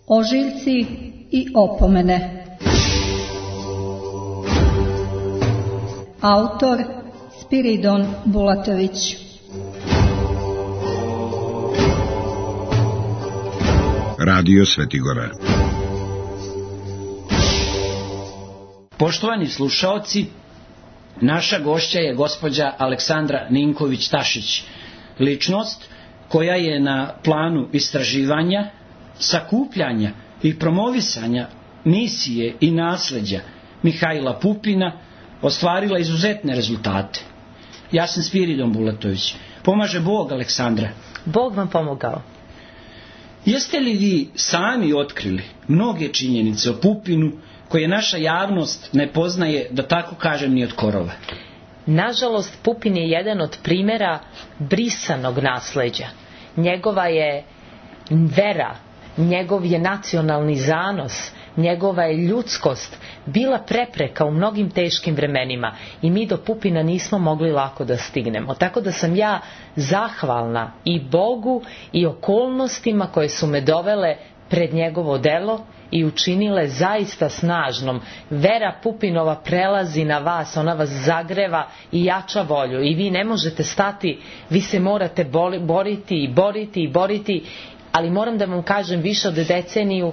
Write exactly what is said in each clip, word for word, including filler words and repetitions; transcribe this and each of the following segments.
Ožiljci i opomene. Autor Spiridon Bulatović. Radio Svetigora. Poštovani slušaoci, naša gošća je gospođa Aleksandra Ninković-Tašić, ličnost koja je na planu istraživanja, sakupljanja i promovisanja misije i nasleđa Mihajla Pupina ostvarila izuzetne rezultate. Ja sam Spiridon Bulatović. Pomaže Bog, Aleksandra. Bog vam pomogao. Jeste li vi sami otkrili mnoge činjenice o Pupinu koje naša javnost ne poznaje, da tako kažem, ni od korova? Nažalost, Pupin je jedan od primjera brisanog nasleđa. Njegova je vera, njegov je nacionalni zanos, njegova je ljudskost bila prepreka u mnogim teškim vremenima i mi do Pupina nismo mogli lako da stignemo. Tako da sam ja zahvalna i Bogu i okolnostima koje su me dovele pred njegovo delo i učinile zaista snažnom. Vera Pupinova prelazi na vas, ona vas zagreva i jača volju i vi ne možete stati, vi se morate boriti i boriti i boriti, ali moram da vam kažem, više od deceniju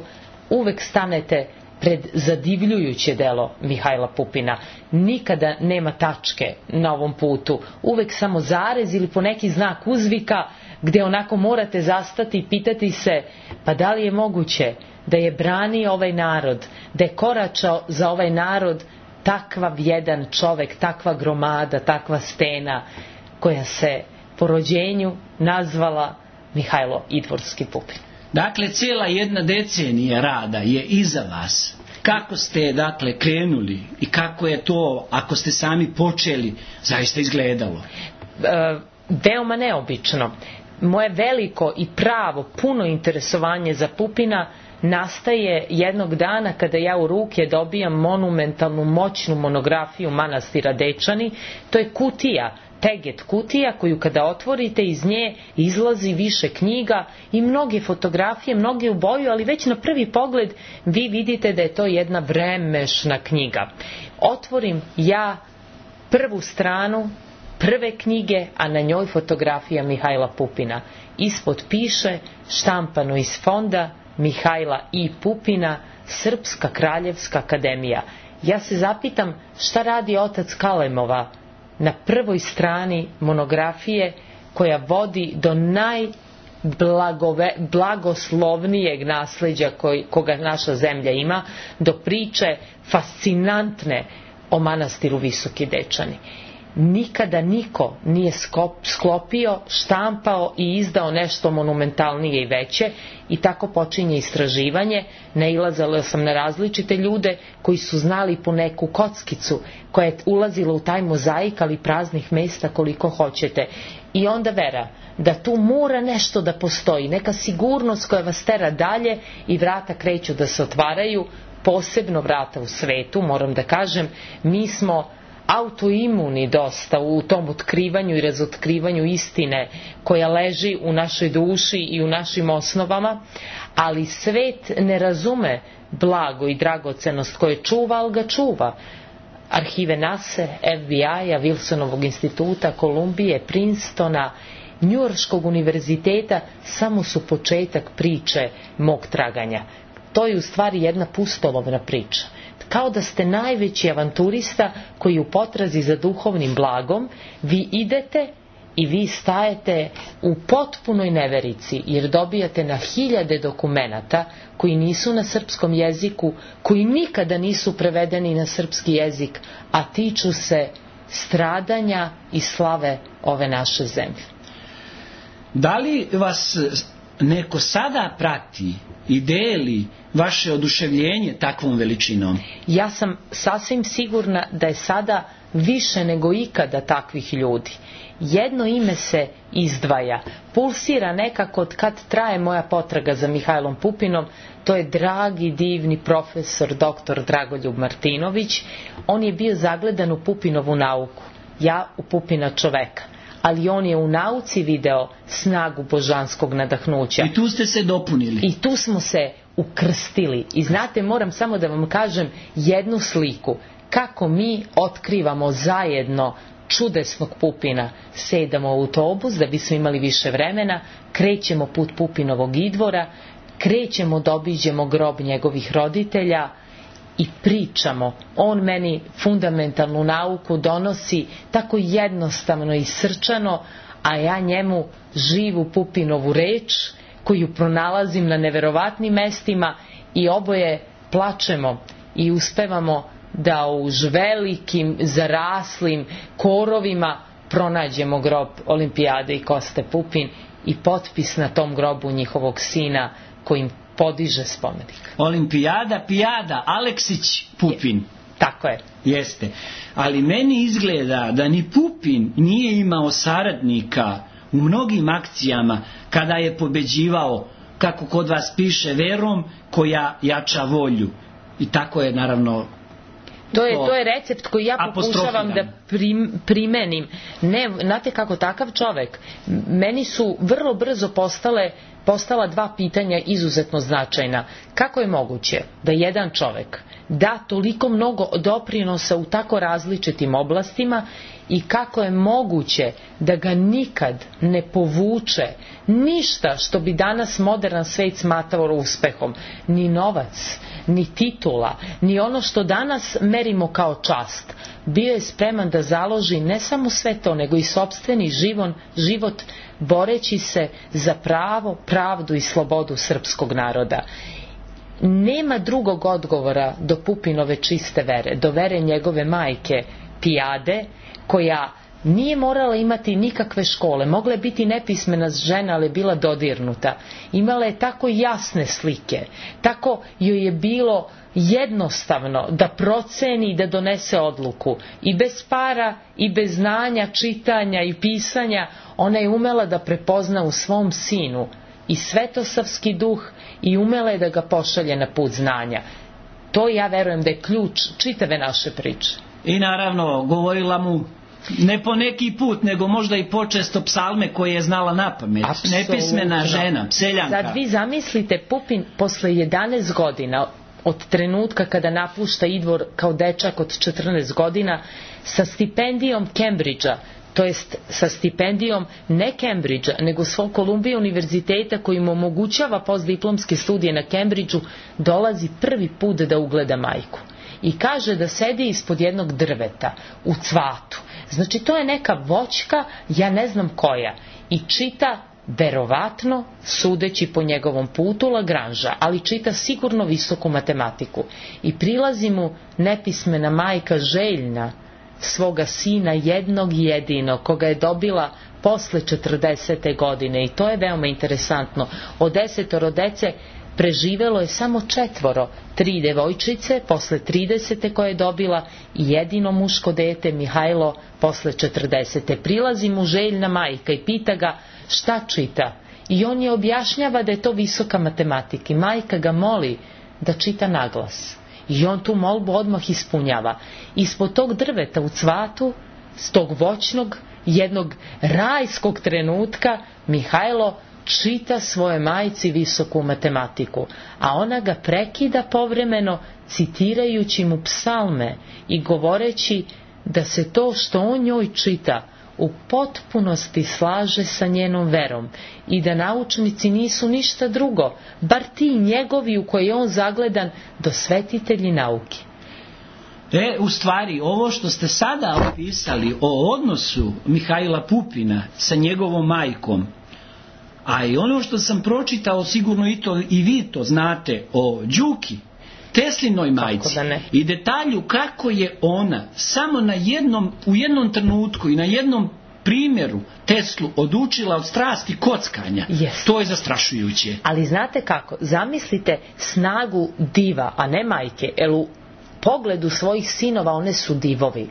uvek stanete pred zadivljujuće delo Mihajla Pupina. Nikada nema tačke na ovom putu, uvek samo zarez ili po neki znak uzvika gde onako morate zastati i pitati se, pa da li je moguće da je branio ovaj narod, da je koračao za ovaj narod takva jedan čovek, takva gromada, takva stena koja se po rođenju nazvala Mihajlo Idvorski Pupin. Dakle, cijela jedna decenija rada je iza vas. Kako ste, dakle, krenuli i kako je to, ako ste sami počeli, zaista izgledalo? E, veoma neobično. Moje veliko i pravo, puno interesovanje za Pupina nastaje jednog dana kada ja u ruke dobijam monumentalnu, moćnu monografiju manastira Dečani. To je kutija, teget kutija koju kada otvorite iz nje izlazi više knjiga i mnoge fotografije, mnoge u boju, ali već na prvi pogled vi vidite da je to jedna vremešna knjiga. Otvorim ja prvu stranu prve knjige, a na njoj fotografija Mihajla Pupina. Ispod piše štampano iz fonda Mihajla I. Pupina, Srpska kraljevska akademija. Ja se zapitam šta radi otac Kalemova na prvoj strani monografije koja vodi do najblagoslovnijeg nasleđa koji, koga naša zemlja ima, do priče fascinantne o manastiru Visoki Dečani. Nikada niko nije sklopio, štampao i izdao nešto monumentalnije i veće i tako počinje istraživanje. Nailazila sam na različite ljude koji su znali po neku kockicu koja je ulazila u taj mozaik, ali praznih mesta koliko hoćete. I onda vera da tu mora nešto da postoji, neka sigurnost koja vas tera dalje i vrata kreću da se otvaraju, posebno vrata u svetu. Moram da kažem, mi smo autoimuni dosta u tom otkrivanju i razotkrivanju istine koja leži u našoj duši i u našim osnovama, ali svet ne razume blago i dragocenost koje čuva, ali ga čuva. Arhive nase, F B I-a, Wilsonovog instituta, Kolumbije, Princetona, Njujorškog univerziteta samo su početak priče mog traganja. To je u stvari jedna pustolovna priča. Kao da ste najveći avanturista koji u potrazi za duhovnim blagom, vi idete i vi stajete u potpunoj neverici jer dobijate na hiljade dokumenata koji nisu na srpskom jeziku, koji nikada nisu prevedeni na srpski jezik, a tiču se stradanja i slave ove naše zemlje. Da li vas neko sada prati i deli vaše oduševljenje takvom veličinom? Ja sam sasvim sigurna da je sada više nego ikada takvih ljudi. Jedno ime se izdvaja, pulsira nekako od kad traje moja potraga za Mihajlom Pupinom, to je dragi, divni profesor doktor Dragoljub Martinović. On je bio zagledan u Pupinovu nauku, ja u Pupina čoveka. ali on je u nauci video snagu božanskog nadahnuća. I tu ste se dopunili. I tu smo se ukrstili. I znate, moram samo da vam kažem jednu sliku. Kako mi otkrivamo zajedno čudesnog Pupina. Sedamo u autobus da bismo imali više vremena, krećemo put Pupinovog idvora, krećemo da obiđemo grob njegovih roditelja i pričamo. On meni fundamentalnu nauku donosi tako jednostavno i srčano, a ja njemu živu Pupinovu reč koju pronalazim na neverovatnim mestima i oboje plačemo i uspevamo da u velikim zaraslim korovima pronađemo grob Olimpijade i Koste Pupin i potpis na tom grobu njihovog sina kojim podiže spomenik. Olimpijada, Pijada, Aleksić, Pupin. Je, tako je. Jeste. Ali meni izgleda da ni Pupin nije imao saradnika u mnogim akcijama kada je pobeđivao, kako kod vas piše, verom koja jača volju. I tako je naravno. To je, to je recept koji ja pokušavam da prim, primenim. Ne, znate kako, takav čovek, meni su vrlo brzo postale, postala dva pitanja izuzetno značajna. Kako je moguće da jedan čovek da toliko mnogo doprinosa u tako različitim oblastima i kako je moguće da ga nikad ne povuče ništa što bi danas moderan svet smatrao uspehom, ni novac, ni titula, ni ono što danas merimo kao čast. Bio je spreman da založi ne samo sve to, nego i sopstveni život, život boreći se za pravo, pravdu i slobodu srpskog naroda. Nema drugog odgovora do Pupinove čiste vere, do vere njegove majke Pijade, koja nije morala imati nikakve škole, mogla je biti nepismena žena, ali je bila dodirnuta. Imala je tako jasne slike, tako joj je bilo jednostavno da proceni i da donese odluku. I bez para, i bez znanja, čitanja i pisanja, ona je umela da prepozna u svom sinu i svetosavski duh i umela je da ga pošalje na put znanja. To ja verujem da je ključ čitave naše priče. I naravno govorila mu ne po neki put, nego možda i počesto psalme koje je znala na pamet. Nepismena žena, seljanka. Sad vi zamislite, Pupin posle jedanaest godina od trenutka kada napušta idvor kao dečak od četrnaest godina sa stipendijom Cambridgea, to jest sa stipendijom ne Cambridgea, nego svog Kolumbija univerziteta koji mu omogućava postdiplomske studije na Cambridgeu, dolazi prvi put da ugleda majku. I kaže da sedi ispod jednog drveta u cvatu. Znači to je neka voćka, ja ne znam koja. I čita, verovatno, sudeći po njegovom putu, Lagrangea, ali čita sigurno visoku matematiku. I prilazi mu nepismena majka željna svoga sina jednog jedinog, koga je dobila posle četrdesete godine. I to je veoma interesantno. Od desetoro dece preživelo je samo četvoro, tri devojčice posle tridesete koje je dobila i jedino muško dete Mihajlo posle četrdesete. Prilazi mu željna majka i pita ga šta čita. I on je objašnjava da je to visoka matematika. I majka ga moli da čita naglas. I on tu molbu odmah ispunjava. Ispod tog drveta u cvatu, s tog voćnog, jednog rajskog trenutka, Mihajlo čita svoje majci visoku matematiku, a ona ga prekida povremeno citirajući mu psalme i govoreći da se to što on njoj čita u potpunosti slaže sa njenom verom i da naučnici nisu ništa drugo, bar ti njegovi u koje je on zagledan, dosvetitelji nauke. E, u stvari, ovo što ste sada opisali o odnosu Mihajla Pupina sa njegovom majkom, a i ono što sam pročitao, sigurno i, to, i vi to znate, o Đuki, Teslinoj majci, i detalju kako je ona samo na jednom, u jednom trenutku i na jednom primjeru Teslu odučila od strasti kockanja. Yes. To je zastrašujuće. Ali znate kako, zamislite snagu diva, a ne majke, jer u pogledu svojih sinova one su divovi.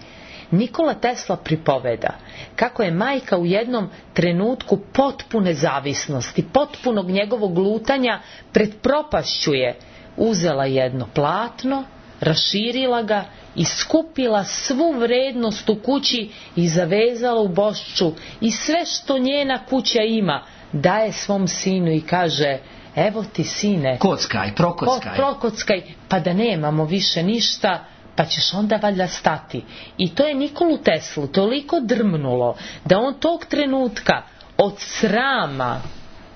Nikola Tesla pripoveda kako je majka u jednom trenutku potpune zavisnosti, potpunog njegovog lutanja pred propašću je uzela jedno platno, raširila ga i skupila svu vrednost u kući i zavezala u bošću i sve što njena kuća ima daje svom sinu i kaže: evo ti sine, kockaj, prokockaj. prokockaj, pa da nemamo više ništa, pa ćeš onda valjda stati. I to je Nikolu Teslu toliko drmnulo da on tog trenutka od srama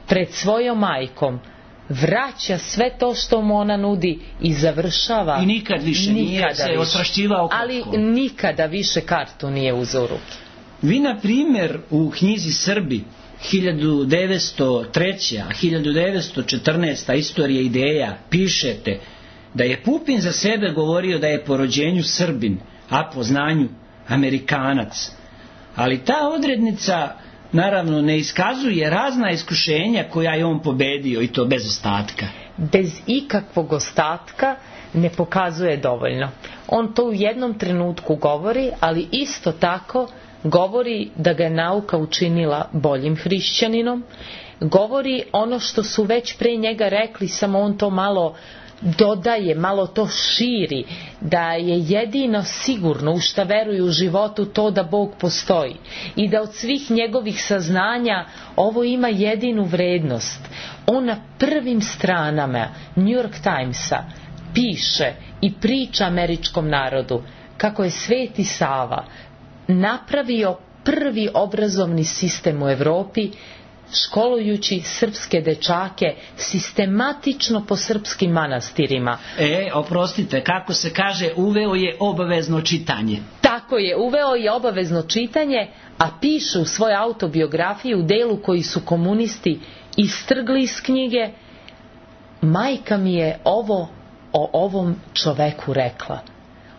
pred svojom majkom vraća sve to što mu ona nudi i završava. I nikad više nije se osrašćivao kockom. Ali nikada više kartu nije uzeo u ruke. Vi, na primjer, u knjizi Srbi hiljadu devetsto treća a hiljadu devetsto četrnaesta istorija ideja pišete da je Pupin za sebe govorio da je po rođenju Srbin, a po znanju Amerikanac. Ali ta odrednica naravno ne iskazuje razna iskušenja koja je on pobedio, i to bez ostatka. Bez ikakvog ostatka ne pokazuje dovoljno. On to u jednom trenutku govori, ali isto tako govori da ga je nauka učinila boljim hrišćaninom, govori ono što su već pre njega rekli, samo on to malo dodaje, malo to širi, da je jedino sigurno u šta veruju u životu to da Bog postoji i da od svih njegovih saznanja ovo ima jedinu vrednost. On na prvim stranama New York Timesa piše i priča američkom narodu kako je Sveti Sava napravio prvi obrazovni sistem u Evropi, školujući srpske dečake sistematično po srpskim manastirima. E, oprostite, kako se kaže, uveo je obavezno čitanje. Tako je, uveo je obavezno čitanje, a piše u svojoj autobiografiji u delu koji su komunisti istrgli iz knjige: majka mi je ovo o ovom čoveku rekla.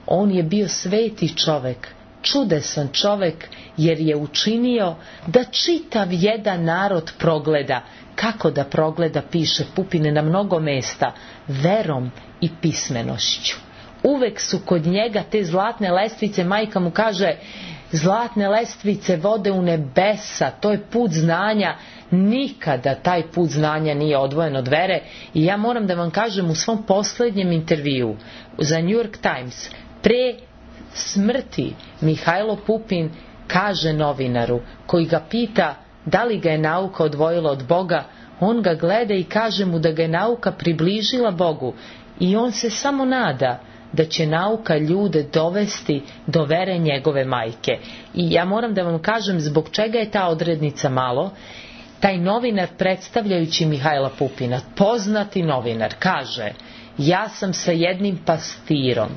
On je bio sveti čovek, čudesan čovek, jer je učinio da čitav jedan narod progleda. Kako da progleda, piše Pupin na mnogo mesta, verom i pismenošću. Uvek su kod njega te zlatne lestvice, majka mu kaže: zlatne lestvice vode u nebesa, to je put znanja. Nikada taj put znanja nije odvojen od vere. I ja moram da vam kažem, u svom poslednjem intervjuu za New York Times, pre smrti, Mihajlo Pupin kaže novinaru koji ga pita da li ga je nauka odvojila od Boga, on ga gleda i kaže mu da ga je nauka približila Bogu i on se samo nada da će nauka ljude dovesti do vere njegove majke. I ja moram da vam kažem zbog čega je ta odrednica malo. Taj novinar, predstavljajući Mihajla Pupina, poznati novinar, kaže: ja sam sa jednim pastirom,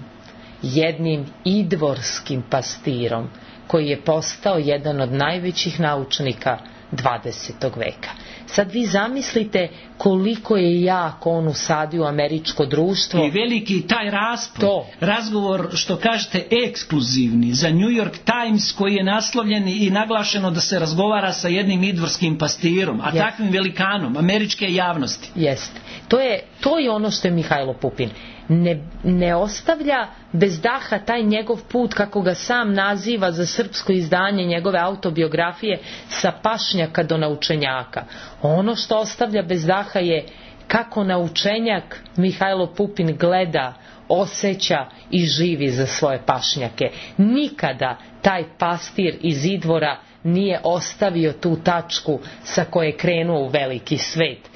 jednim idvorskim pastirom, koji je postao jedan od najvećih naučnika dvadesetog veka. Sad vi zamislite koliko je jako on usadio američko društvo. I veliki taj raspon, to. razgovor, što kažete, ekskluzivni za New York Times, koji je naslovljen i naglašeno da se razgovara sa jednim idvorskim pastirom, a Jest. takvim velikanom američke javnosti. Jeste. To je, to je ono što je Mihajlo Pupin. Ne, ne ostavlja bez daha taj njegov put, kako ga sam naziva za srpsko izdanje njegove autobiografije, sa pašnjaka do naučenjaka. Ono što ostavlja bez daha je kako naučenjak Mihajlo Pupin gleda, osjeća i živi za svoje pašnjake. Nikada taj pastir iz Idvora nije ostavio tu tačku sa koje je krenuo u veliki svet.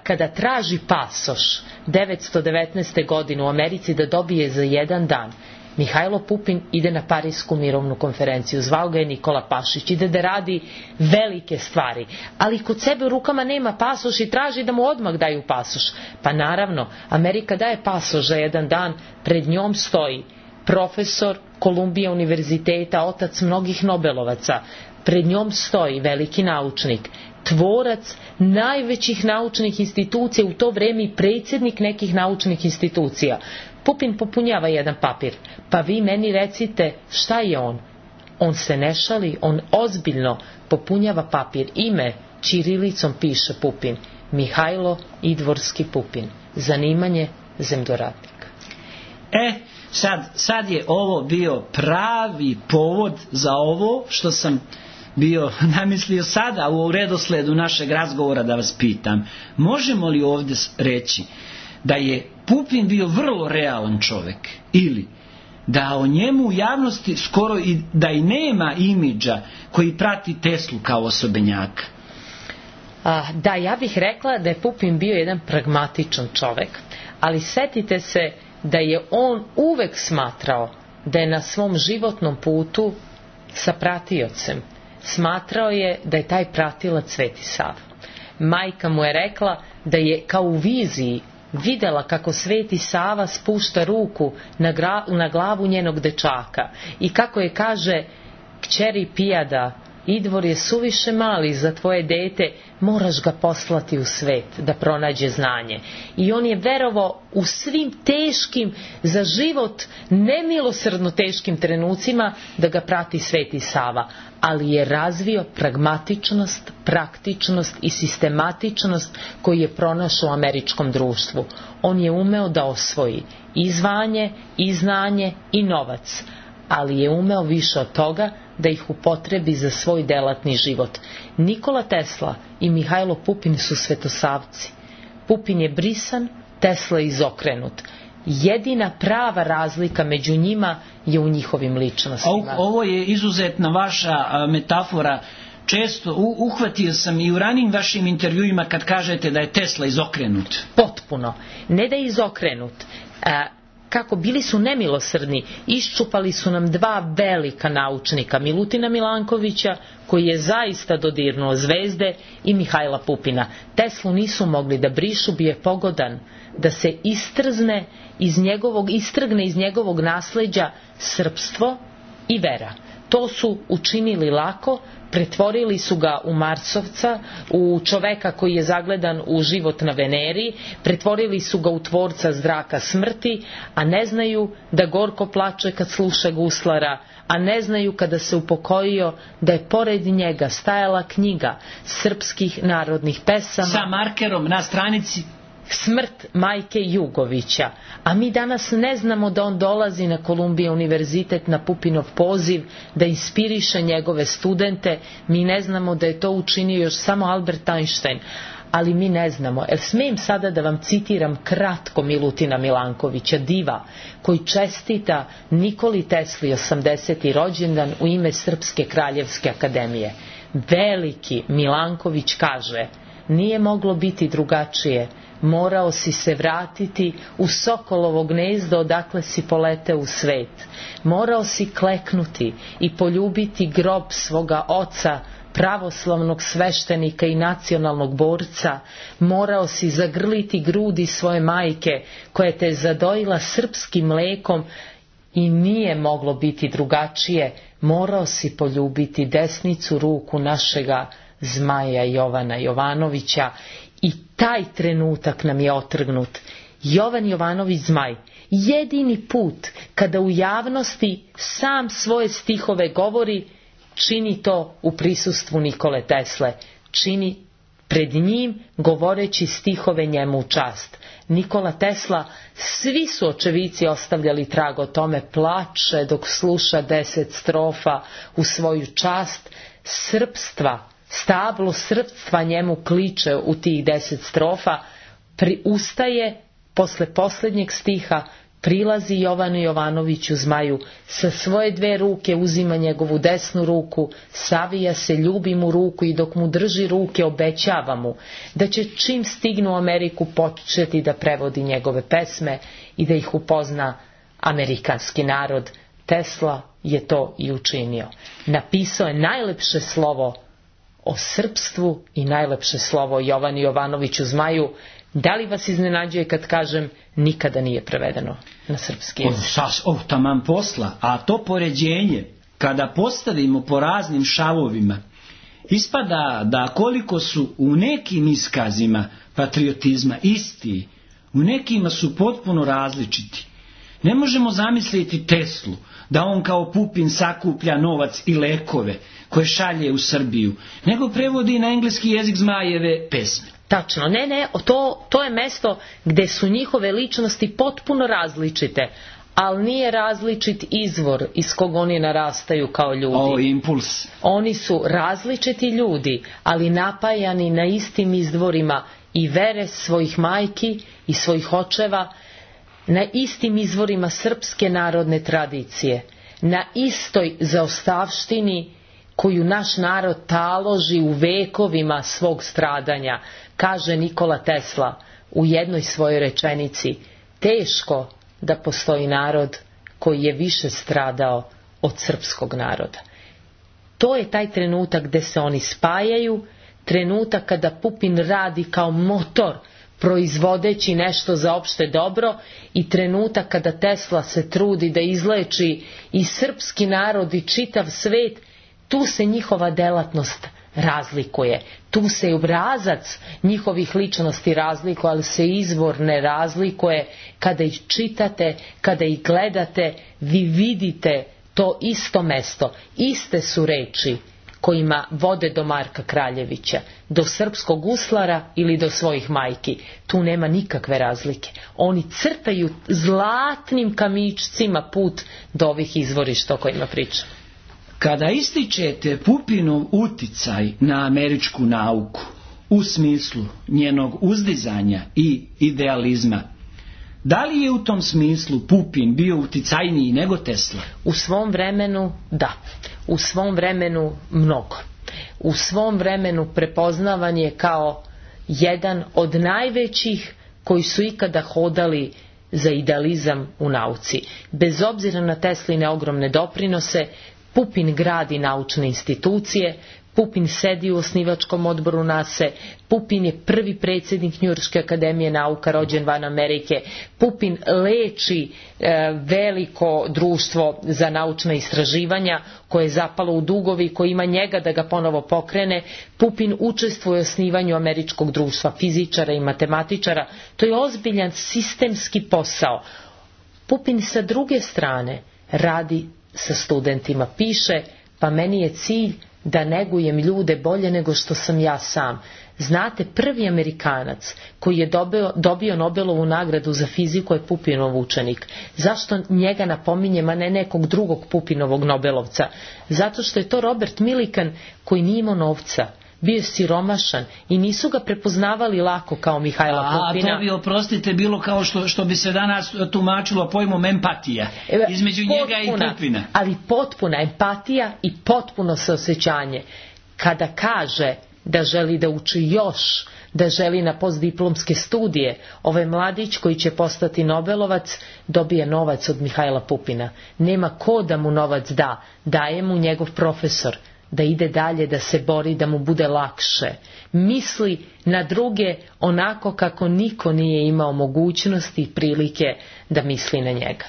Kada traži pasoš devetsto devetnaeste. godine u Americi da dobije za jedan dan, Mihajlo Pupin ide na Parisku mirovnu konferenciju, zvao ga je Nikola Pašić, ide da radi velike stvari, ali kod sebe u rukama nema pasoš i traži da mu odmah daju pasoš. Pa naravno, Amerika daje pasoš za jedan dan, pred njom stoji profesor Kolumbija univerziteta, otac mnogih Nobelovaca, pred njom stoji veliki naučnik, tvorac najvećih naučnih institucija u to vreme i predsjednik nekih naučnih institucija. Pupin popunjava jedan papir. Pa vi meni recite šta je on? On se ne šali, on ozbiljno popunjava papir. Ime ćirilicom piše Pupin. Mihajlo Idvorski Pupin. Zanimanje zemljoradnik. E, sad, sad je ovo bio pravi povod za ovo što sam bio namislio sada u redosledu našeg razgovora da vas pitam. Možemo li ovdje reći da je Pupin bio vrlo realan čovjek, ili da o njemu u javnosti skoro i da i nema imidža koji prati Teslu kao osobenjaka? A, da, ja bih rekla da je Pupin bio jedan pragmatičan čovjek, ali setite se da je on uvek smatrao da je na svom životnom putu sa pratiocem. Smatrao je da je taj pratilac Sveti Sava. Majka mu je rekla da je kao u viziji vidjela kako Sveti Sava spušta ruku na, gra, na glavu njenog dečaka i kako je kaže: kćeri Pijada, Idvor je suviše mali za tvoje dete, moraš ga poslati u svet da pronađe znanje. I on je verovao u svim teškim, za život nemilosrdno teškim trenucima, da ga prati Sveti Sava, ali je razvio pragmatičnost, praktičnost i sistematičnost koju je pronašao u američkom društvu. On je umeo da osvoji i zvanje, i znanje, i novac, ali je umeo više od toga da ih upotrebi za svoj delatni život. Nikola Tesla i Mihajlo Pupin su svetosavci. Pupin je brisan, Tesla je izokrenut. Jedina prava razlika među njima je u njihovim ličnostima. Ovo je izuzetna vaša metafora. Često uhvatio sam i u ranijim vašim intervjuima kad kažete da je Tesla izokrenut. Potpuno. Ne da je izokrenut. A, kako bili su nemilosrdni, iščupali su nam dva velika naučnika, Milutina Milankovića, koji je zaista dodirnuo zvezde, i Mihajla Pupina. Teslu nisu mogli da brišu, bio je pogodan da se istrzne iz njegovog, istrgne iz njegovog nasleđa srpstvo i vera. To su učinili lako, pretvorili su ga u Marsovca, u čoveka koji je zagledan u život na Veneri, pretvorili su ga u tvorca zraka smrti, a ne znaju da gorko plače kad sluša guslara, a ne znaju kada se upokojio da je pored njega stajala knjiga srpskih narodnih pesama sa markerom na stranici Smrt majke Jugovića, a mi danas ne znamo da on dolazi na Columbia univerzitet na Pupinov poziv da inspiriše njegove studente. Mi ne znamo da je to učinio još samo Albert Einstein, ali mi ne znamo. Jel smijem sada da vam citiram kratko Milutina Milankovića, diva, koji čestita Nikoli Tesli osamdeseti rođendan u ime Srpske kraljevske akademije. Veliki Milanković kaže: nije moglo biti drugačije, morao si se vratiti u Sokolovo gnezdo odakle si poleteo u svet. Morao si kleknuti i poljubiti grob svoga oca, pravoslavnog sveštenika i nacionalnog borca. Morao si zagrliti grudi svoje majke koja te zadojila srpskim mlekom i nije moglo biti drugačije. Morao si poljubiti desnicu ruku našega zmaja Jovana Jovanovića. I taj trenutak nam je otrgnut. Jovan Jovanović Zmaj, jedini put kada u javnosti sam svoje stihove govori, čini to u prisustvu Nikole Tesle. Čini pred njim govoreći stihove njemu u čast. Nikola Tesla, svi su očevici ostavljali trag o tome, plače dok sluša deset strofa u svoju čast. Srpstva, stablo srpstva njemu kliče u tih deset strofa. Pri, ustaje posle posljednjeg stiha, prilazi Jovanu Jovanoviću Zmaju, sa svoje dve ruke uzima njegovu desnu ruku, savija se, ljubi mu ruku i dok mu drži ruke obećava mu da će čim stignu u Ameriku početi da prevodi njegove pesme i da ih upozna amerikanski narod. Tesla je to i učinio. Napisao je najlepše slovo o srpstvu i najlepše slovo o Jovanu Jovanoviću Zmaju. Da li vas iznenađuje kad kažem nikada nije prevedeno na srpski jezik? Oh, taman posla. A to poređenje, kada postavimo po raznim šavovima, ispada da koliko su u nekim iskazima patriotizma isti, u nekima su potpuno različiti. Ne možemo zamisliti Teslu da on kao Pupin sakuplja novac i lekove koje šalje u Srbiju, nego prevodi na engleski jezik Zmajeve pesme. Tačno, ne, ne, to, to je mesto gde su njihove ličnosti potpuno različite, ali nije različit izvor iz kog oni narastaju kao ljudi. O, impuls. Oni su različiti ljudi, ali napajani na istim izvorima i vere svojih majki i svojih očeva na istim izvorima srpske narodne tradicije, na istoj zaostavštini koju naš narod taloži u vekovima svog stradanja. Kaže Nikola Tesla u jednoj svojoj rečenici: teško da postoji narod koji je više stradao od srpskog naroda. To je taj trenutak gde se oni spajaju, trenutak kada Pupin radi kao motor proizvodeći nešto za opšte dobro, i trenutak kada Tesla se trudi da izleči i srpski narod i čitav svet. Tu se njihova delatnost razlikuje, tu se obrazac njihovih ličnosti razlikuje, ali se izvor ne razlikuje. Kada ih čitate, kada ih gledate, vi vidite to isto mesto, iste su reči kojima vode do Marka Kraljevića, do srpskog guslara ili do svojih majki. Tu nema nikakve razlike. Oni crtaju zlatnim kamičcima put do ovih izvorišta o kojima pričam. Kada ističete Pupinov uticaj na američku nauku u smislu njenog uzdizanja i idealizma, da li je u tom smislu Pupin bio uticajniji nego Tesla? U svom vremenu da. U svom vremenu mnogo. U svom vremenu prepoznavan je kao jedan od najvećih koji su ikada hodali za idealizam u nauci. Bez obzira na Tesline ogromne doprinose, Pupin gradi naučne institucije, Pupin sedi u osnivačkom odboru nase, Pupin je prvi predsjednik Njujorške akademije nauka rođen van Amerike, Pupin leči e, veliko društvo za naučna istraživanja koje je zapalo u dugovi, koji ima njega da ga ponovo pokrene. Pupin učestvuje u osnivanju američkog društva fizičara i matematičara. To je ozbiljan sistemski posao. Pupin sa druge strane radi sa studentima, piše: pa meni je cilj da negujem ljude bolje nego što sam ja sam. Znate, prvi Amerikanac koji je dobio, dobio Nobelovu nagradu za fiziku je Pupinov učenik. Zašto njega napominjem, a ne nekog drugog Pupinovog Nobelovca? Zato što je to Robert Millikan, koji nije imao novca, bio je siromašan i nisu ga prepoznavali lako kao Mihajla Pupina. A to bi, oprostite, bilo kao što, što bi se danas tumačilo pojmom empatija između potpuna, njega i Pupina. Ali potpuna empatija i potpuno saosećanje. Kada kaže da želi da uči još, da želi na postdiplomske studije, ovaj mladić koji će postati Nobelovac dobije novac od Mihajla Pupina. Nema ko da mu novac da, daje mu njegov profesor, da ide dalje, da se bori, da mu bude lakše. Misli na druge onako kako niko nije imao mogućnosti i prilike da misli na njega.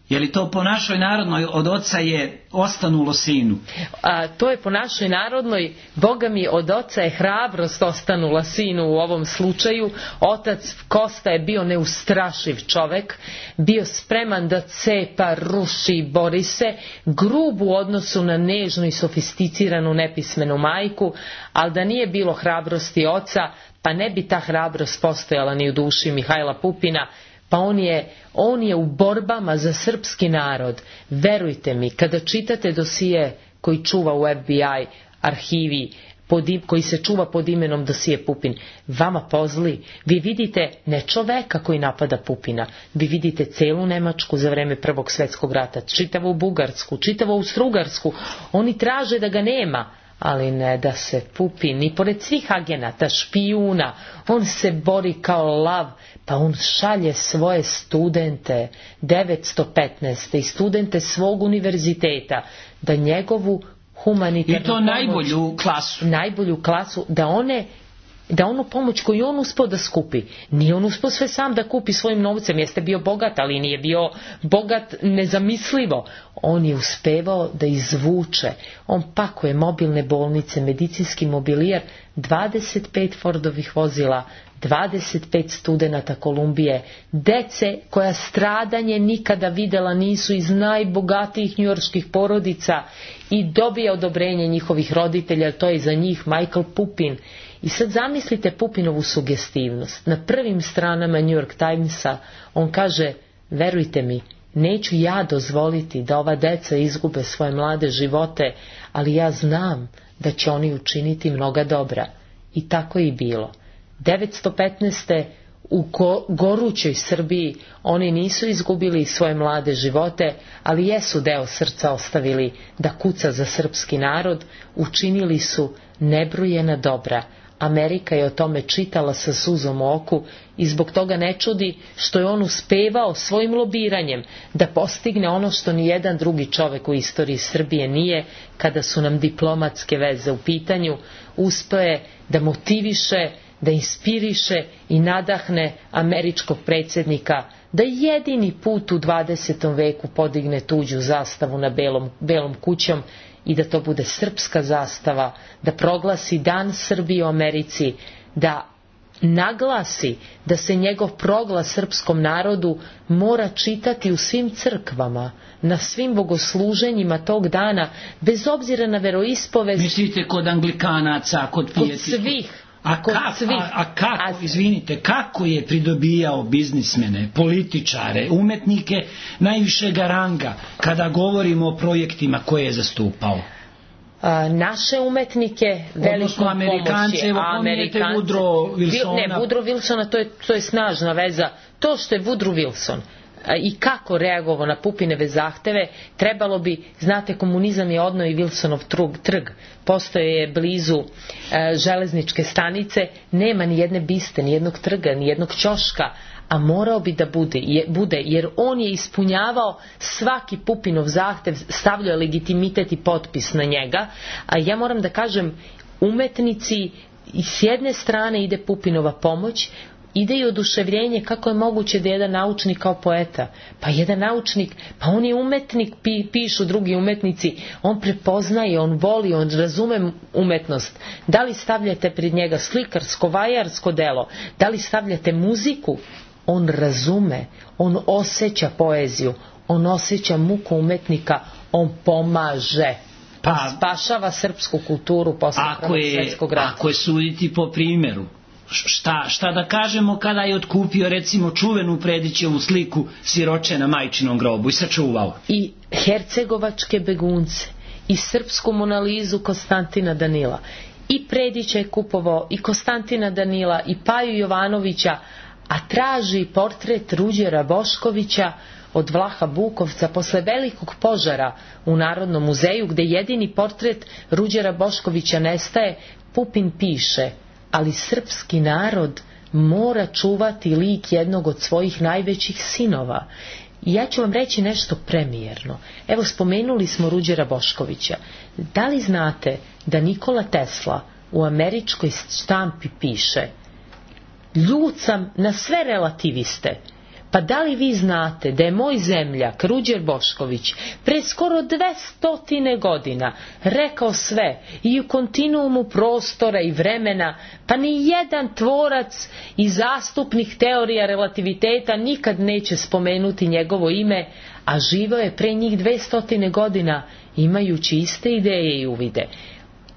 Je li to po našoj narodnoj od oca je ostanulo sinu? A, to je po našoj narodnoj, Boga mi, od oca je hrabrost ostanula sinu u ovom slučaju. Otac Kosta je bio neustrašiv čovek, bio spreman da cepa, ruši i bori se, grub u odnosu na nežnu i sofisticiranu nepismenu majku, ali da nije bilo hrabrosti oca, pa ne bi ta hrabrost postojala ni u duši Mihajla Pupina. Pa on je, on je u borbama za srpski narod. Verujte mi, kada čitate dosije koji čuva u F B I arhivi, pod, koji se čuva pod imenom dosije Pupin, vama pozli. Vi vidite ne čoveka koji napada Pupina, vi vidite celu Nemačku za vreme Prvog svjetskog rata, čitavu Bugarsku, čitavu Austrougarsku. Oni traže da ga nema, ali ne da se Pupin, ni pored svih agenata, špijuna, on se bori kao lav, pa on šalje svoje studente, devetsto petnaeste i studente svog univerziteta, da njegovu humanitarnu i to pomoć, najbolju klasu, najbolju klasu, da one da onu pomoć koju on uspio da skupi, nije on uspio sve sam da kupi svojim novcem, jeste bio bogat, ali nije bio bogat nezamislivo. On je uspevao da izvuče, on pakuje mobilne bolnice, medicinski mobilijar, dvadeset pet Fordovih vozila, dvadeset pet studenata Kolumbije, dece koja stradanje nikada videla nisu, iz najbogatijih njujorških porodica, i dobija odobrenje njihovih roditelja, to je za njih Michael Pupin. I sad zamislite Pupinovu sugestivnost. Na prvim stranama New York Timesa on kaže: verujte mi, neću ja dozvoliti da ova deca izgube svoje mlade živote, ali ja znam da će oni učiniti mnoga dobra. I tako je i bilo. devetsto petnaeste. u gorućoj Srbiji oni nisu izgubili svoje mlade živote, ali jesu deo srca ostavili da kuca za srpski narod, učinili su nebrojena dobra. Amerika je o tome čitala sa suzom u oku i zbog toga ne čudi što je on uspevao svojim lobiranjem da postigne ono što ni jedan drugi čovek u istoriji Srbije nije, kada su nam diplomatske veze u pitanju. Uspeo je da motiviše, da inspiriše i nadahne američkog predsjednika da jedini put u dvadesetom veku podigne tuđu zastavu na belom, belom kućom i da to bude srpska zastava, da proglasi Dan Srbije u Americi, da naglasi da se njegov proglas srpskom narodu mora čitati u svim crkvama, na svim bogosluženjima tog dana, bez obzira na veroispovest. Mislite kod anglikanaca, kod pijetih? Kod svih. A kako, a, a kako, izvinite, kako je pridobijao biznismene, političare, umetnike najvišeg ranga, kada govorimo o projektima koje je zastupao? A, naše umetnike velikom Amerikance, pomoći. Evo pominjete Woodrow Wilsona. Ne, Woodrow Wilsona, to je, to je snažna veza. To što je Woodrow Wilson i kako reagovao na Pupineve zahteve, trebalo bi, znate, komunizam je odno i Wilsonov trg, postoje je blizu e, železničke stanice, nema ni jedne biste, ni jednog trga, ni jednog ćoška, a morao bi da bude, je, bude, jer on je ispunjavao svaki Pupinov zahtev, stavljao je legitimitet i potpis na njega. A ja moram da kažem, umetnici, s jedne strane ide Pupinova pomoć, ide i oduševljenje kako je moguće da jedan naučnik kao poeta, pa jedan naučnik, pa on je umetnik, pi, pišu drugi umetnici, on prepoznaje, on voli, on razume umetnost. Da li stavljate pred njega slikarsko, vajarsko delo, da li stavljate muziku, on razume, on osjeća poeziju, on osjeća muku umetnika, on pomaže. Pa spašava srpsku kulturu posle Prvog svjetskog rata. Ako je suditi po primjeru, Šta, šta da kažemo kada je otkupio recimo čuvenu Predićevu sliku siroče na majčinom grobu i sačuvao? I hercegovačke begunce, i srpsku Monalizu Konstantina Danila. I Predić je kupovao i Konstantina Danila i Paju Jovanovića, a traži portret Ruđera Boškovića od Vlaha Bukovca posle velikog požara u Narodnom muzeju, gde jedini portret Ruđera Boškovića nestaje. Pupin piše: ali srpski narod mora čuvati lik jednog od svojih najvećih sinova. I ja ću vam reći nešto premijerno. Evo, spomenuli smo Ruđera Boškovića. Da li znate da Nikola Tesla u američkoj štampi piše: ljut sam na sve relativiste. Pa da li vi znate da je moj zemljak Ruđer Bošković pre skoro dvestotine godina rekao sve i u kontinuumu prostora i vremena, pa ni jedan tvorac i zastupnik teorija relativiteta nikad neće spomenuti njegovo ime, a živio je pre njih dvestotine godina imajući iste ideje i uvide.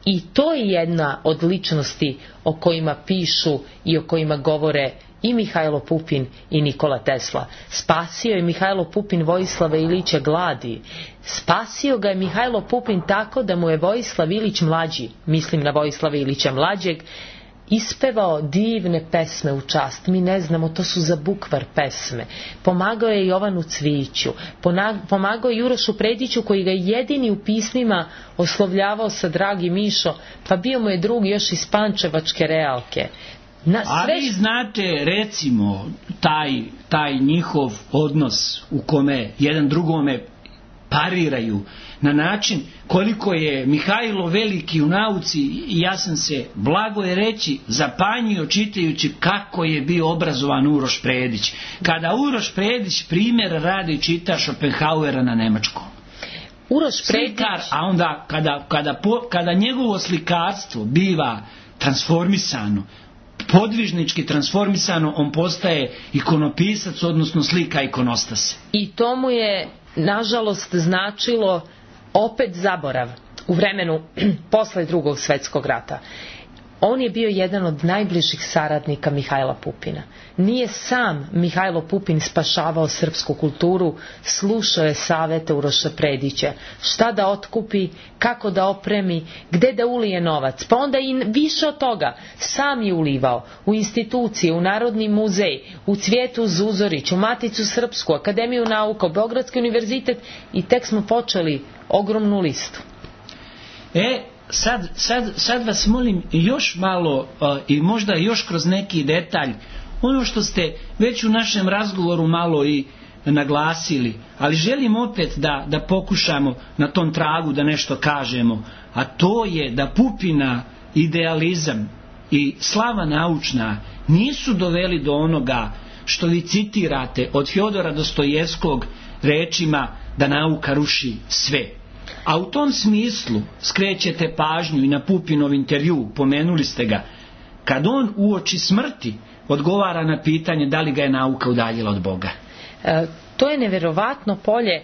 I to je jedna od ličnosti o kojima pišu i o kojima govore i Mihajlo Pupin i Nikola Tesla. Spasio je Mihajlo Pupin Vojislava Ilića gladi. Spasio ga je Mihajlo Pupin tako da mu je Vojislav Ilić mlađi, mislim na Vojislava Ilića mlađeg, ispevao divne pesme u čast. Mi ne znamo, to su za bukvar pesme. Pomagao je Jovanu Cviću, pomagao je Jurošu Prediću, koji ga jedini u pismima oslovljavao sa dragi Mišo, pa bio mu je drug još iz Pančevačke Realke. Na sve... Ali znate, recimo, taj, taj njihov odnos u kome jedan drugome pariraju na način koliko je Mihajlo veliki u nauci, i ja sam se, blago je reći, zapanjio čitajući kako je bio obrazovan Uroš Predić. Kada Uroš Predić primjer radi čita Schopenhauera na nemačkom. Uroš Predić... Slikar, a onda kada, kada, po, kada njegovo slikarstvo biva transformisano, podvižnički transformisano, on postaje ikonopisac, odnosno slika ikonostas. I to mu je nažalost značilo opet zaborav u vremenu posle Drugog svjetskog rata. On je bio jedan od najbližih saradnika Mihajla Pupina. Nije sam Mihajlo Pupin spašavao srpsku kulturu, slušao je savete Uroša Predića, šta da otkupi, kako da opremi, gde da ulije novac, pa onda i više od toga sam je ulivao u institucije, u Narodni muzej, u Cvijetu Zuzorić, u Maticu Srpsku, Akademiju nauka, u Beogradski univerzitet i tek smo počeli ogromnu listu. E, sad, sad, sad vas molim još malo uh, i možda još kroz neki detalj, ono što ste već u našem razgovoru malo i naglasili, ali želim opet da, da pokušamo na tom tragu da nešto kažemo, a to je da Pupina idealizam i slava naučna nisu doveli do onoga što vi citirate od Fjodora Dostojevskog rečima da nauka ruši sve. A u tom smislu skrećete pažnju i na Pupinov intervju, pomenuli ste ga, kad on uoči smrti odgovara na pitanje da li ga je nauka udaljila od Boga. E, to je neverovatno polje,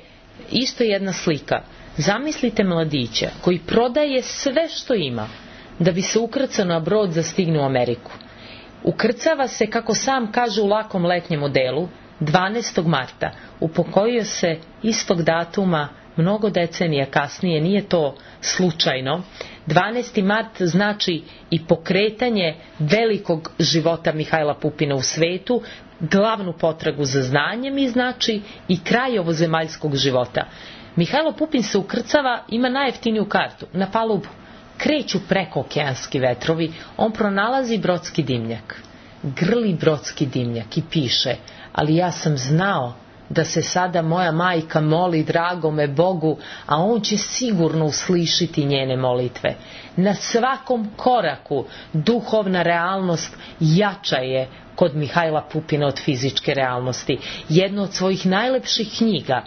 isto jedna slika. Zamislite mladića koji prodaje sve što ima da bi se ukrcao na brod za stignu u Ameriku. Ukrcava se, kako sam kaže, u lakom letnjem odelu, dvanaestog marta. Upokojio se istog datuma mnogo decenija kasnije, nije to slučajno. dvanaesti mart znači i pokretanje velikog života Mihajla Pupina u svetu, glavnu potragu za znanjem i znači i kraj ovozemaljskog života. Mihajlo Pupin se ukrcava, ima najjeftiniju kartu, na palubu. Kreću preko okeanski vetrovi, on pronalazi brodski dimnjak. Grli brodski dimnjak i piše: ali ja sam znao da se sada moja majka moli dragome Bogu, a on će sigurno uslišiti njene molitve. Na svakom koraku duhovna realnost jača je kod Mihajla Pupina od fizičke realnosti. Jednu od svojih najlepših knjiga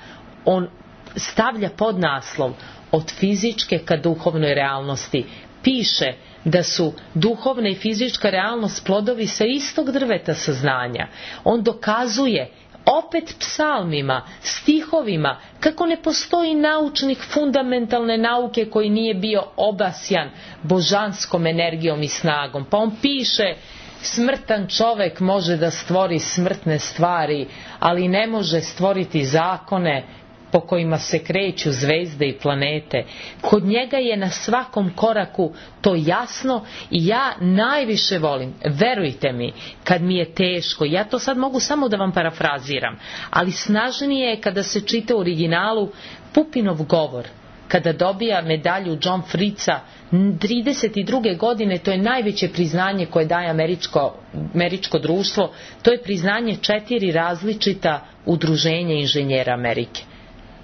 on stavlja pod naslov Od fizičke ka duhovnoj realnosti. Piše da su duhovna i fizička realnost plodovi sa istog drveta saznanja. On dokazuje opet psalmima, stihovima, kako ne postoji naučnik fundamentalne nauke koji nije bio obasjan božanskom energijom i snagom. Pa on piše: smrtan čovek može da stvori smrtne stvari, ali ne može stvoriti zakone po kojima se kreću zvezde i planete. Kod njega je na svakom koraku to jasno i ja najviše volim, verujte mi, kad mi je teško, ja to sad mogu samo da vam parafraziram, ali snažnije je kada se čita u originalu Pupinov govor, kada dobija medalju John Fritza trideset druge godine, to je najveće priznanje koje daje američko, američko društvo, to je priznanje četiri različita udruženja inženjera Amerike,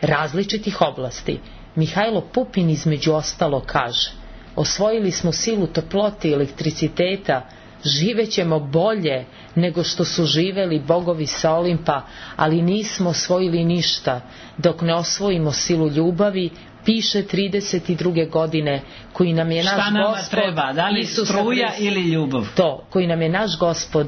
različitih oblasti. Mihajlo Pupin između ostalo kaže: osvojili smo silu toplote i elektriciteta, živećemo bolje nego što su živeli bogovi sa Olimpa, ali nismo osvojili ništa dok ne osvojimo silu ljubavi, piše trideset druge godine, koji nam je naš Šta nama Gospod treba, da li Isus struja Hrist, ili ljubav? To, koji nam je naš Gospod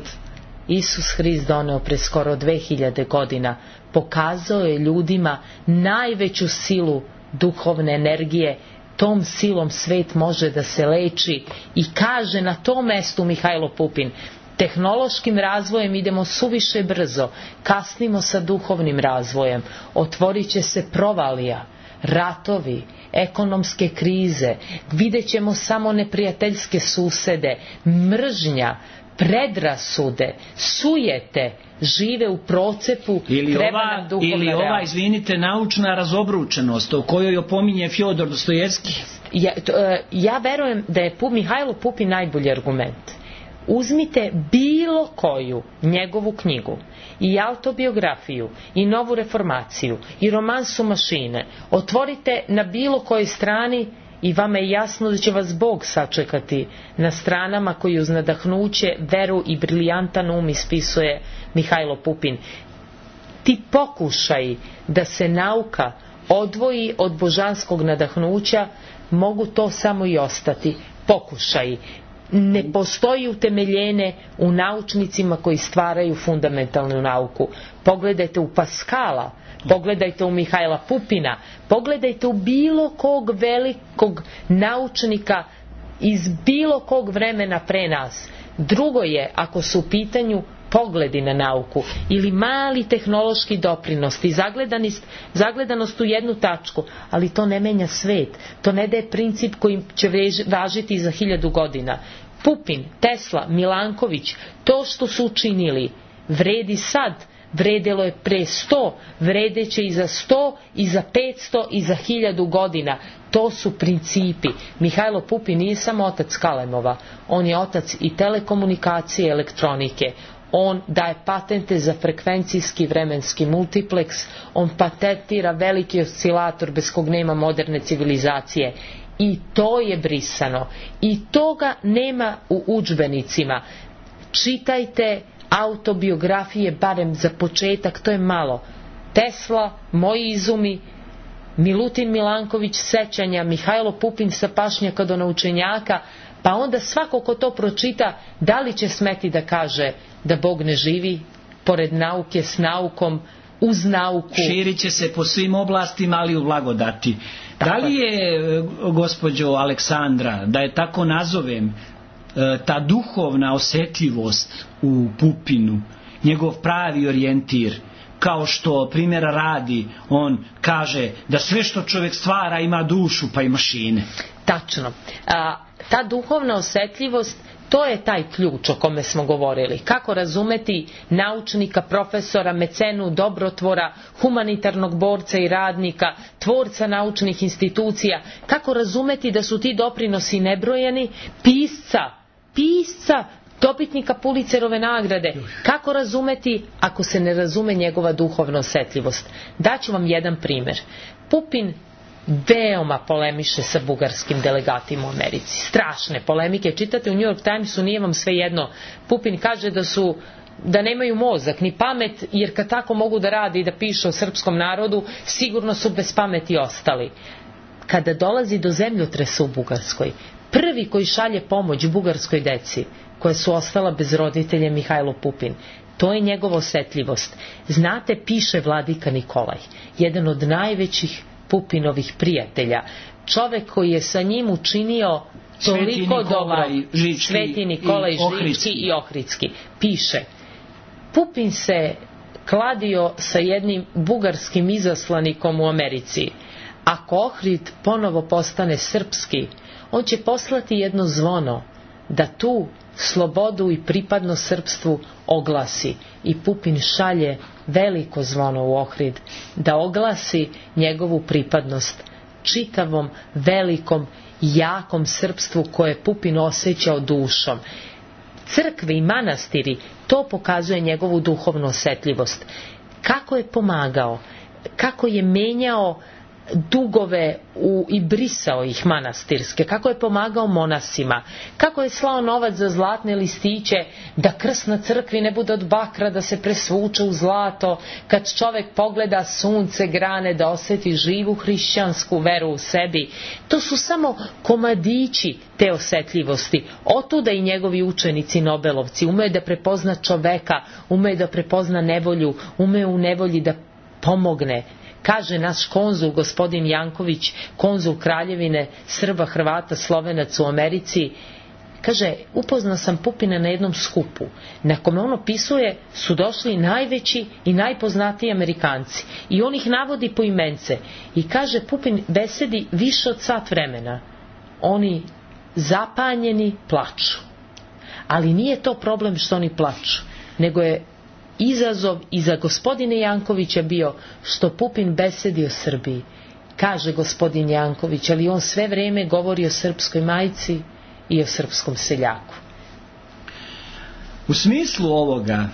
Isus Hrist doneo pre skoro dve hiljade godina, pokazao je ljudima najveću silu duhovne energije. Tom silom svet može da se leči i kaže na tom mestu Mihajlo Pupin: tehnološkim razvojem idemo suviše brzo, kasnimo sa duhovnim razvojem, otvorit će se provalija, ratovi, ekonomske krize, vidjet ćemo samo neprijateljske susede, mržnja, predrasude, sujete žive u procepu. Ili treba ova, nam duhovna ili ova realnost. izvinite, naučna razobručenost o kojoj opominje Fjodor Dostojevski. Ja, to, ja verujem da je Mihajlo Pupin najbolji argument. Uzmite bilo koju njegovu knjigu i autobiografiju i novu reformaciju i romansu mašine, otvorite na bilo kojoj strani i vama je jasno da će vas Bog sačekati na stranama koji uz nadahnuće, veru i briljantan um ispisuje Mihajlo Pupin. Ti pokušaj da se nauka odvoji od božanskog nadahnuća mogu to samo i ostati pokušaj. Ne postoji utemeljene u naučnicima koji stvaraju fundamentalnu nauku. Pogledajte u Paskala, pogledajte u Mihajla Pupina, pogledajte u bilo kog velikog naučnika iz bilo kog vremena pre nas. Drugo je ako su u pitanju pogledi na nauku ili mali tehnološki doprinos i zagledanost u jednu tačku, ali to ne menja svet, to ne daje princip koji će važiti za hiljadu godina. Pupin, Tesla, Milanković, to što su učinili vredi sad, vredelo je pre sto, vredeće i za sto, i za petsto, i za hiljadu godina. To su principi. Mihajlo Pupin nije samo otac Kalemova, on je otac i telekomunikacije i elektronike. On daje patente za frekvencijski vremenski multipleks, on patentira veliki oscilator bez kog nema moderne civilizacije. I to je brisano. I toga nema u udžbenicima. Čitajte autobiografije, barem za početak, to je malo. Tesla, Moji izumi, Milutin Milanković sećanja, Mihajlo Pupin sa pašnjaka do naučenjaka, pa onda svako ko to pročita, da li će smeti da kaže da Bog ne živi pored nauke, s naukom, uz nauku. Širit će se po svim oblastima, ali u blagodati. Da li je, gospođo Aleksandra, da je tako nazovem, ta duhovna osjetljivost u Pupinu, njegov pravi orijentir, kao što primjera radi, on kaže da sve što čovjek stvara ima dušu pa i mašine. Tačno. A, ta duhovna osjetljivost, to je taj ključ o kome smo govorili. Kako razumeti naučnika, profesora, mecenu, dobrotvora, humanitarnog borca i radnika, tvorca naučnih institucija, kako razumeti da su ti doprinosi nebrojeni, pisca, pisca, dobitnika Pulitzerove nagrade. Kako razumeti ako se ne razume njegova duhovna osjetljivost? Daću vam jedan primjer. Pupin veoma polemiše sa bugarskim delegatima u Americi. Strašne polemike. Čitate u New York Timesu, nije vam sve jedno. Pupin kaže da su da nemaju mozak ni pamet, jer kad tako mogu da radi i da piše o srpskom narodu, sigurno su bez pameti ostali. Kada dolazi do zemljotresa u Bugarskoj, prvi koji šalje pomoć bugarskoj deci koja su ostala bez roditelja, Mihajlo Pupin. To je njegova osjetljivost. Znate, piše vladika Nikolaj, jedan od najvećih Pupinovih prijatelja, čovek koji je sa njim učinio toliko dobra, Sveti Nikolaj Žički i Ohridski, piše: Pupin se kladio sa jednim bugarskim izaslanikom u Americi. Ako Ohrid ponovo postane srpski, on će poslati jedno zvono da tu slobodu i pripadnost srpstvu oglasi. I Pupin šalje veliko zvono u Ohrid da oglasi njegovu pripadnost čitavom, velikom, jakom srpstvu koje je Pupin osjećao dušom. Crkve i manastiri, to pokazuje njegovu duhovnu osjetljivost. Kako je pomagao, kako je menjao dugove u, i brisao ih manastirske, kako je pomagao monasima, kako je slao novac za zlatne listiće, da krst na crkvi ne bude od bakra, da se presvuče u zlato, kad čovjek pogleda sunce, grane, da osjeti živu hrišćansku veru u sebi. To su samo komadići te osjetljivosti. Otuda i njegovi učenici Nobelovci umeju da prepozna čoveka, umeju da prepozna nevolju, umeju u nevolji da pomogne. Kaže naš konzul, gospodin Janković, konzul Kraljevine Srba, Hrvata, Slovenac u Americi, kaže, upoznao sam Pupina na jednom skupu. Na kome on opisuje su došli najveći i najpoznatiji Amerikanci. I on ih navodi po imence. I kaže, Pupin besedi više od sat vremena. Oni zapanjeni plaču. Ali nije to problem što oni plaču, nego je izazov i za gospodina Jankovića bio što Pupin besedi o Srbiji. Kaže gospodin Janković, ali on sve vrijeme govori o srpskoj majci i o srpskom seljaku. U smislu ovoga,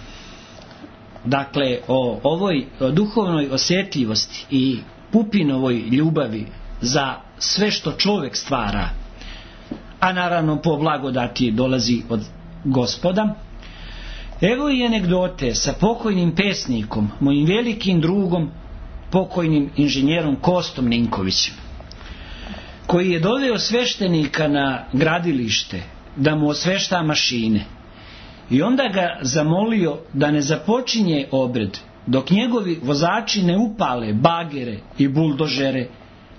dakle o ovoj o duhovnoj osjetljivosti i Pupinovoj ljubavi za sve što čovjek stvara, a naravno po blagodati dolazi od Gospoda, evo i anegdote sa pokojnim pesnikom, mojim velikim drugom, pokojnim inženjerom Kostom Ninkovićem, koji je doveo sveštenika na gradilište da mu osvešta mašine i onda ga zamolio da ne započinje obred dok njegovi vozači ne upale bagere i buldožere,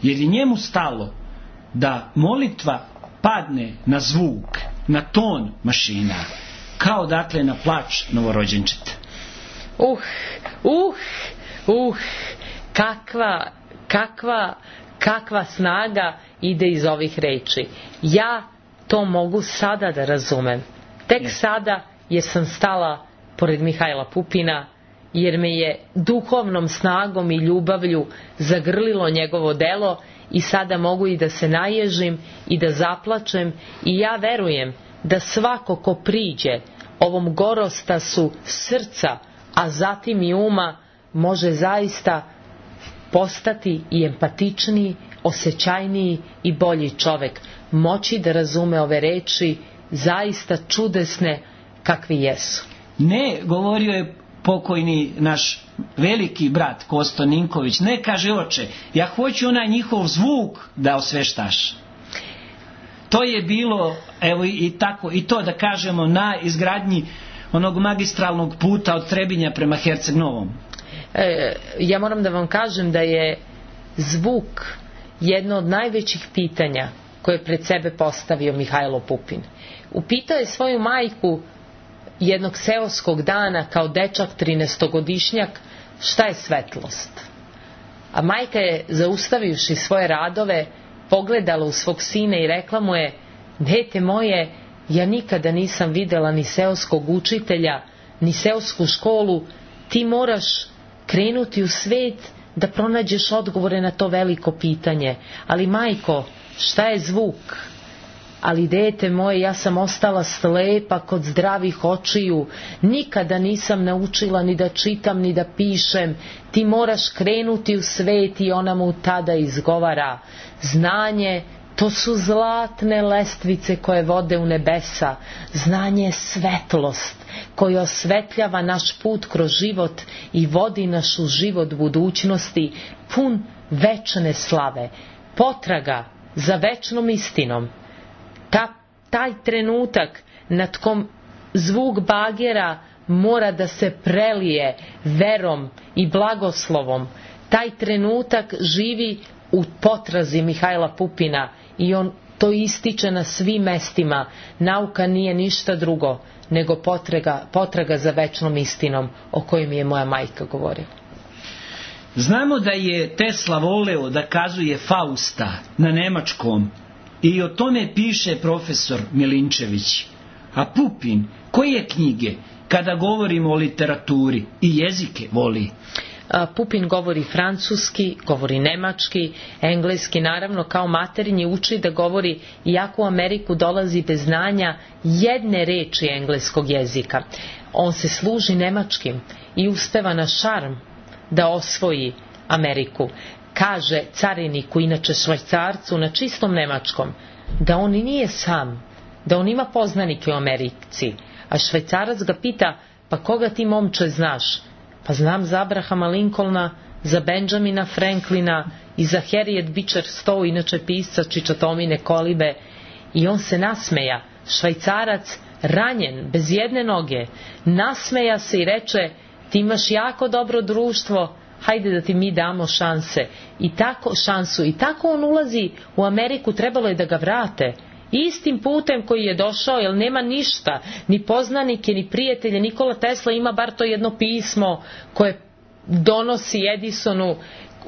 jer je njemu stalo da molitva padne na zvuk, na ton mašina, kao dakle na plač novorođenčeta. Uh, uh, uh, kakva, kakva, kakva snaga ide iz ovih reči. Ja to mogu sada da razumem. Tek yes. sada jer sam stala pored Mihajla Pupina, jer me je duhovnom snagom i ljubavlju zagrlilo njegovo delo i sada mogu i da se naježim i da zaplačem i ja verujem da svako ko priđe ovom gorostasu srca, a zatim i uma, može zaista postati i empatičniji, osjećajniji i bolji čovek, moći da razume ove reči zaista čudesne kakvi jesu. Ne, govorio je pokojni naš veliki brat Kosto Ninković, ne, kaže, oče, ja hoću onaj njihov zvuk da osveštaš. To je bilo, evo i tako, i to da kažemo na izgradnji onog magistralnog puta od Trebinja prema Herceg Novom. E, ja moram da vam kažem da je zvuk jedno od najvećih pitanja koje je pred sebe postavio Mihajlo Pupin. Upitao je svoju majku jednog seoskog dana kao dečak trinaestogodišnjak šta je svetlost. A majka je, zaustavivši svoje radove, pogledala u svog sina i rekla mu je: dete moje, ja nikada nisam videla ni seoskog učitelja, ni seosku školu, ti moraš krenuti u svet da pronađeš odgovore na to veliko pitanje. Ali majko, šta je zvuk? Ali dete moje, ja sam ostala slepa kod zdravih očiju, nikada nisam naučila ni da čitam ni da pišem, ti moraš krenuti u svet. I ona mu tada izgovara: znanje, to su zlatne lestvice koje vode u nebesa, znanje je svetlost koja osvetljava naš put kroz život i vodi naš u život budućnosti pun večne slave, potraga za večnom istinom. Ta, taj trenutak nad kom zvuk bagera mora da se prelije verom i blagoslovom, taj trenutak živi u potrazi Mihajla Pupina i on to ističe na svim mestima. Nauka nije ništa drugo nego potraga, potraga za večnom istinom o kojoj mi je moja majka govorila. Znamo da je Tesla voleo da kazuje Fausta na nemačkom i o tome piše profesor Milinčević. A Pupin koje knjige, kada govorimo o literaturi, i jezike voli? Pupin govori francuski, govori nemački, engleski, naravno kao materinji uči da govori, iako u Ameriku dolazi bez znanja jedne reči engleskog jezika. On se služi nemačkim i uspeva na šarm da osvoji Ameriku. Kaže cariniku, inače Švajcarcu, na čistom nemačkom, da on i nije sam, da on ima poznanike u Americi. A Švajcarac ga pita: pa koga ti, momče, znaš? Pa znam za Abrahama Lincolna, za Benjamina Franklina i za Harriet Beecher Stowe, inače pisca Čičatomine kolibe. I on se nasmeja. Švajcarac, ranjen, bez jedne noge, nasmeja se i reče: ti imaš jako dobro društvo, hajde da ti mi damo šanse. I tako, šansu. I tako on ulazi u Ameriku, trebalo je da ga vrate. Istim putem koji je došao, jer nema ništa, ni poznanike, ni prijatelje. Nikola Tesla ima bar to jedno pismo koje donosi Edisonu,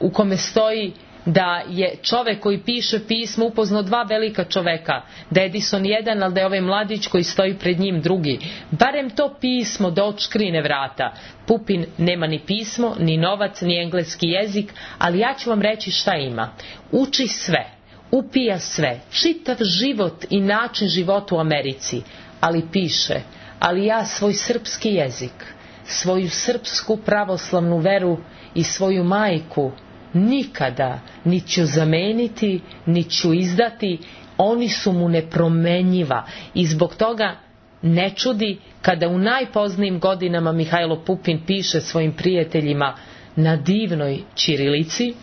u kome stoji da je čovek koji piše pismo upoznao dva velika čoveka, da je Edison jedan, ali da je ovaj mladić koji stoji pred njim drugi. Barem to pismo da odškrine vrata. Pupin nema ni pismo, ni novac, ni engleski jezik, ali ja ću vam reći šta ima. Uči sve, upija sve, čitav život i način života u Americi, ali piše: ali ja svoj srpski jezik, svoju srpsku pravoslavnu veru i svoju majku nikada ni ću zameniti, ni ću izdati, oni su mu nepromenjiva. I zbog toga ne čudi kada u najpoznijim godinama Mihajlo Pupin piše svojim prijateljima na divnoj ćirilici,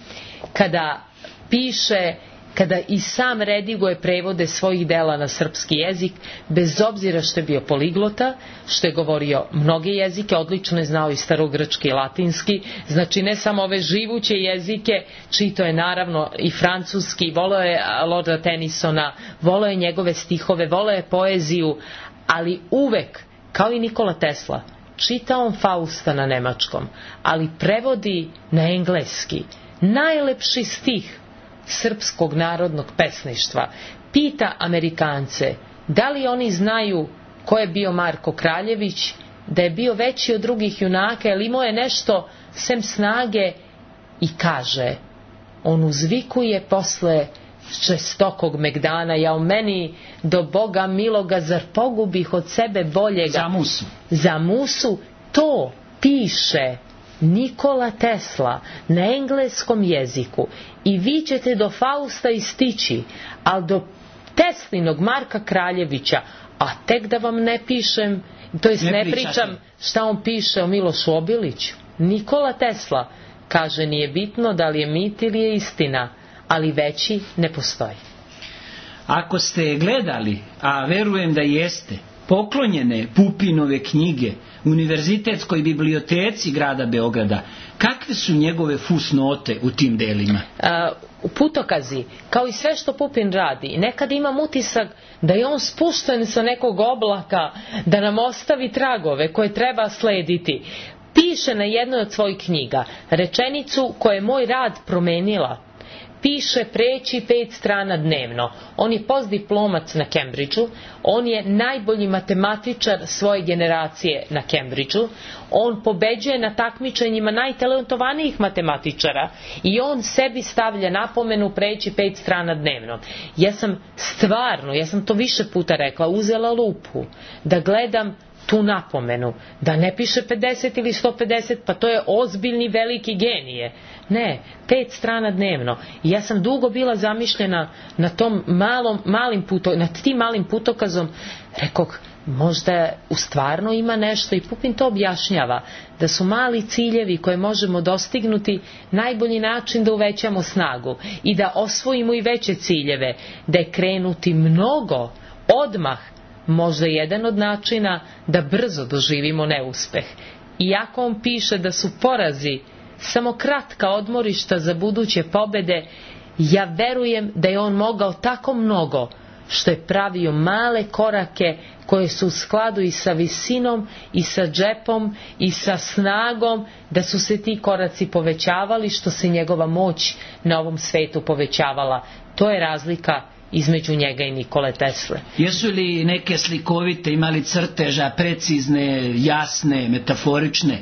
kada piše kada i sam rediguje prevode svojih dela na srpski jezik, bez obzira što je bio poliglota, što je govorio mnoge jezike, odlično je znao i starogrčki i latinski, znači ne samo ove živuće jezike, čito je naravno i francuski, voleo je Lorda Tennysona, voleo je njegove stihove, voleo je poeziju, ali uvek, kao i Nikola Tesla, čita on Fausta na nemačkom, ali prevodi na engleski najlepši stih srpskog narodnog pesništva. Pita Amerikance da li oni znaju ko je bio Marko Kraljević, da je bio veći od drugih junaka, jer imao je nešto sem snage, i kaže, on uzvikuje posle žestokog megdana, ja u meni do Boga miloga, zar pogubih od sebe boljega. Za musu. Za musu. To piše Nikola Tesla na engleskom jeziku i vi ćete do Fausta i stići, ali do Teslinog Marka Kraljevića, a tek da vam ne pišem, to jest ne, ne pričam šta on piše o Milošu Obiliću. Nikola Tesla kaže, nije bitno da li je mit ili je istina, ali veći ne postoji. Ako ste gledali, a verujem da jeste, poklonjene Pupinove knjige Univerzitetskoj biblioteci grada Beograda, kakve su njegove fusnote u tim delima? U putokazi, kao i sve što Pupin radi, nekad imam utisak da je on spušten sa nekog oblaka, da nam ostavi tragove koje treba slediti. Piše na jednoj od svojih knjiga rečenicu koja je moj rad promenila. Piše preći pet strana dnevno. On je postdiplomac na Cambridgeu, on je najbolji matematičar svoje generacije na Cambridgeu, on pobeđuje na takmičenjima najtalentovanijih matematičara i on sebi stavlja napomenu preći pet strana dnevno. Ja sam stvarno, ja sam to više puta rekla, uzela lupu da gledam tu napomenu, da ne piše pedeset ili sto pedeset, pa to je ozbiljni veliki genije. Ne, pet strana dnevno. I ja sam dugo bila zamišljena na tom malom, malim puto, nad tim malim putokazom. Rekog, možda u stvarno ima nešto, i Pupin to objašnjava, da su mali ciljevi koje možemo dostignuti najbolji način da uvećamo snagu i da osvojimo i veće ciljeve, da je krenuti mnogo, odmah, možda jedan od načina da brzo doživimo neuspeh. Iako on piše da su porazi samo kratka odmorišta za buduće pobede, ja verujem da je on mogao tako mnogo, što je pravio male korake koje su u skladu i sa visinom i sa džepom i sa snagom, da su se ti koraci povećavali, što se njegova moć na ovom svetu povećavala. To je razlika između njega i Nikole Tesle. Jesu li neke slikovite, imali crteža precizne, jasne, metaforične,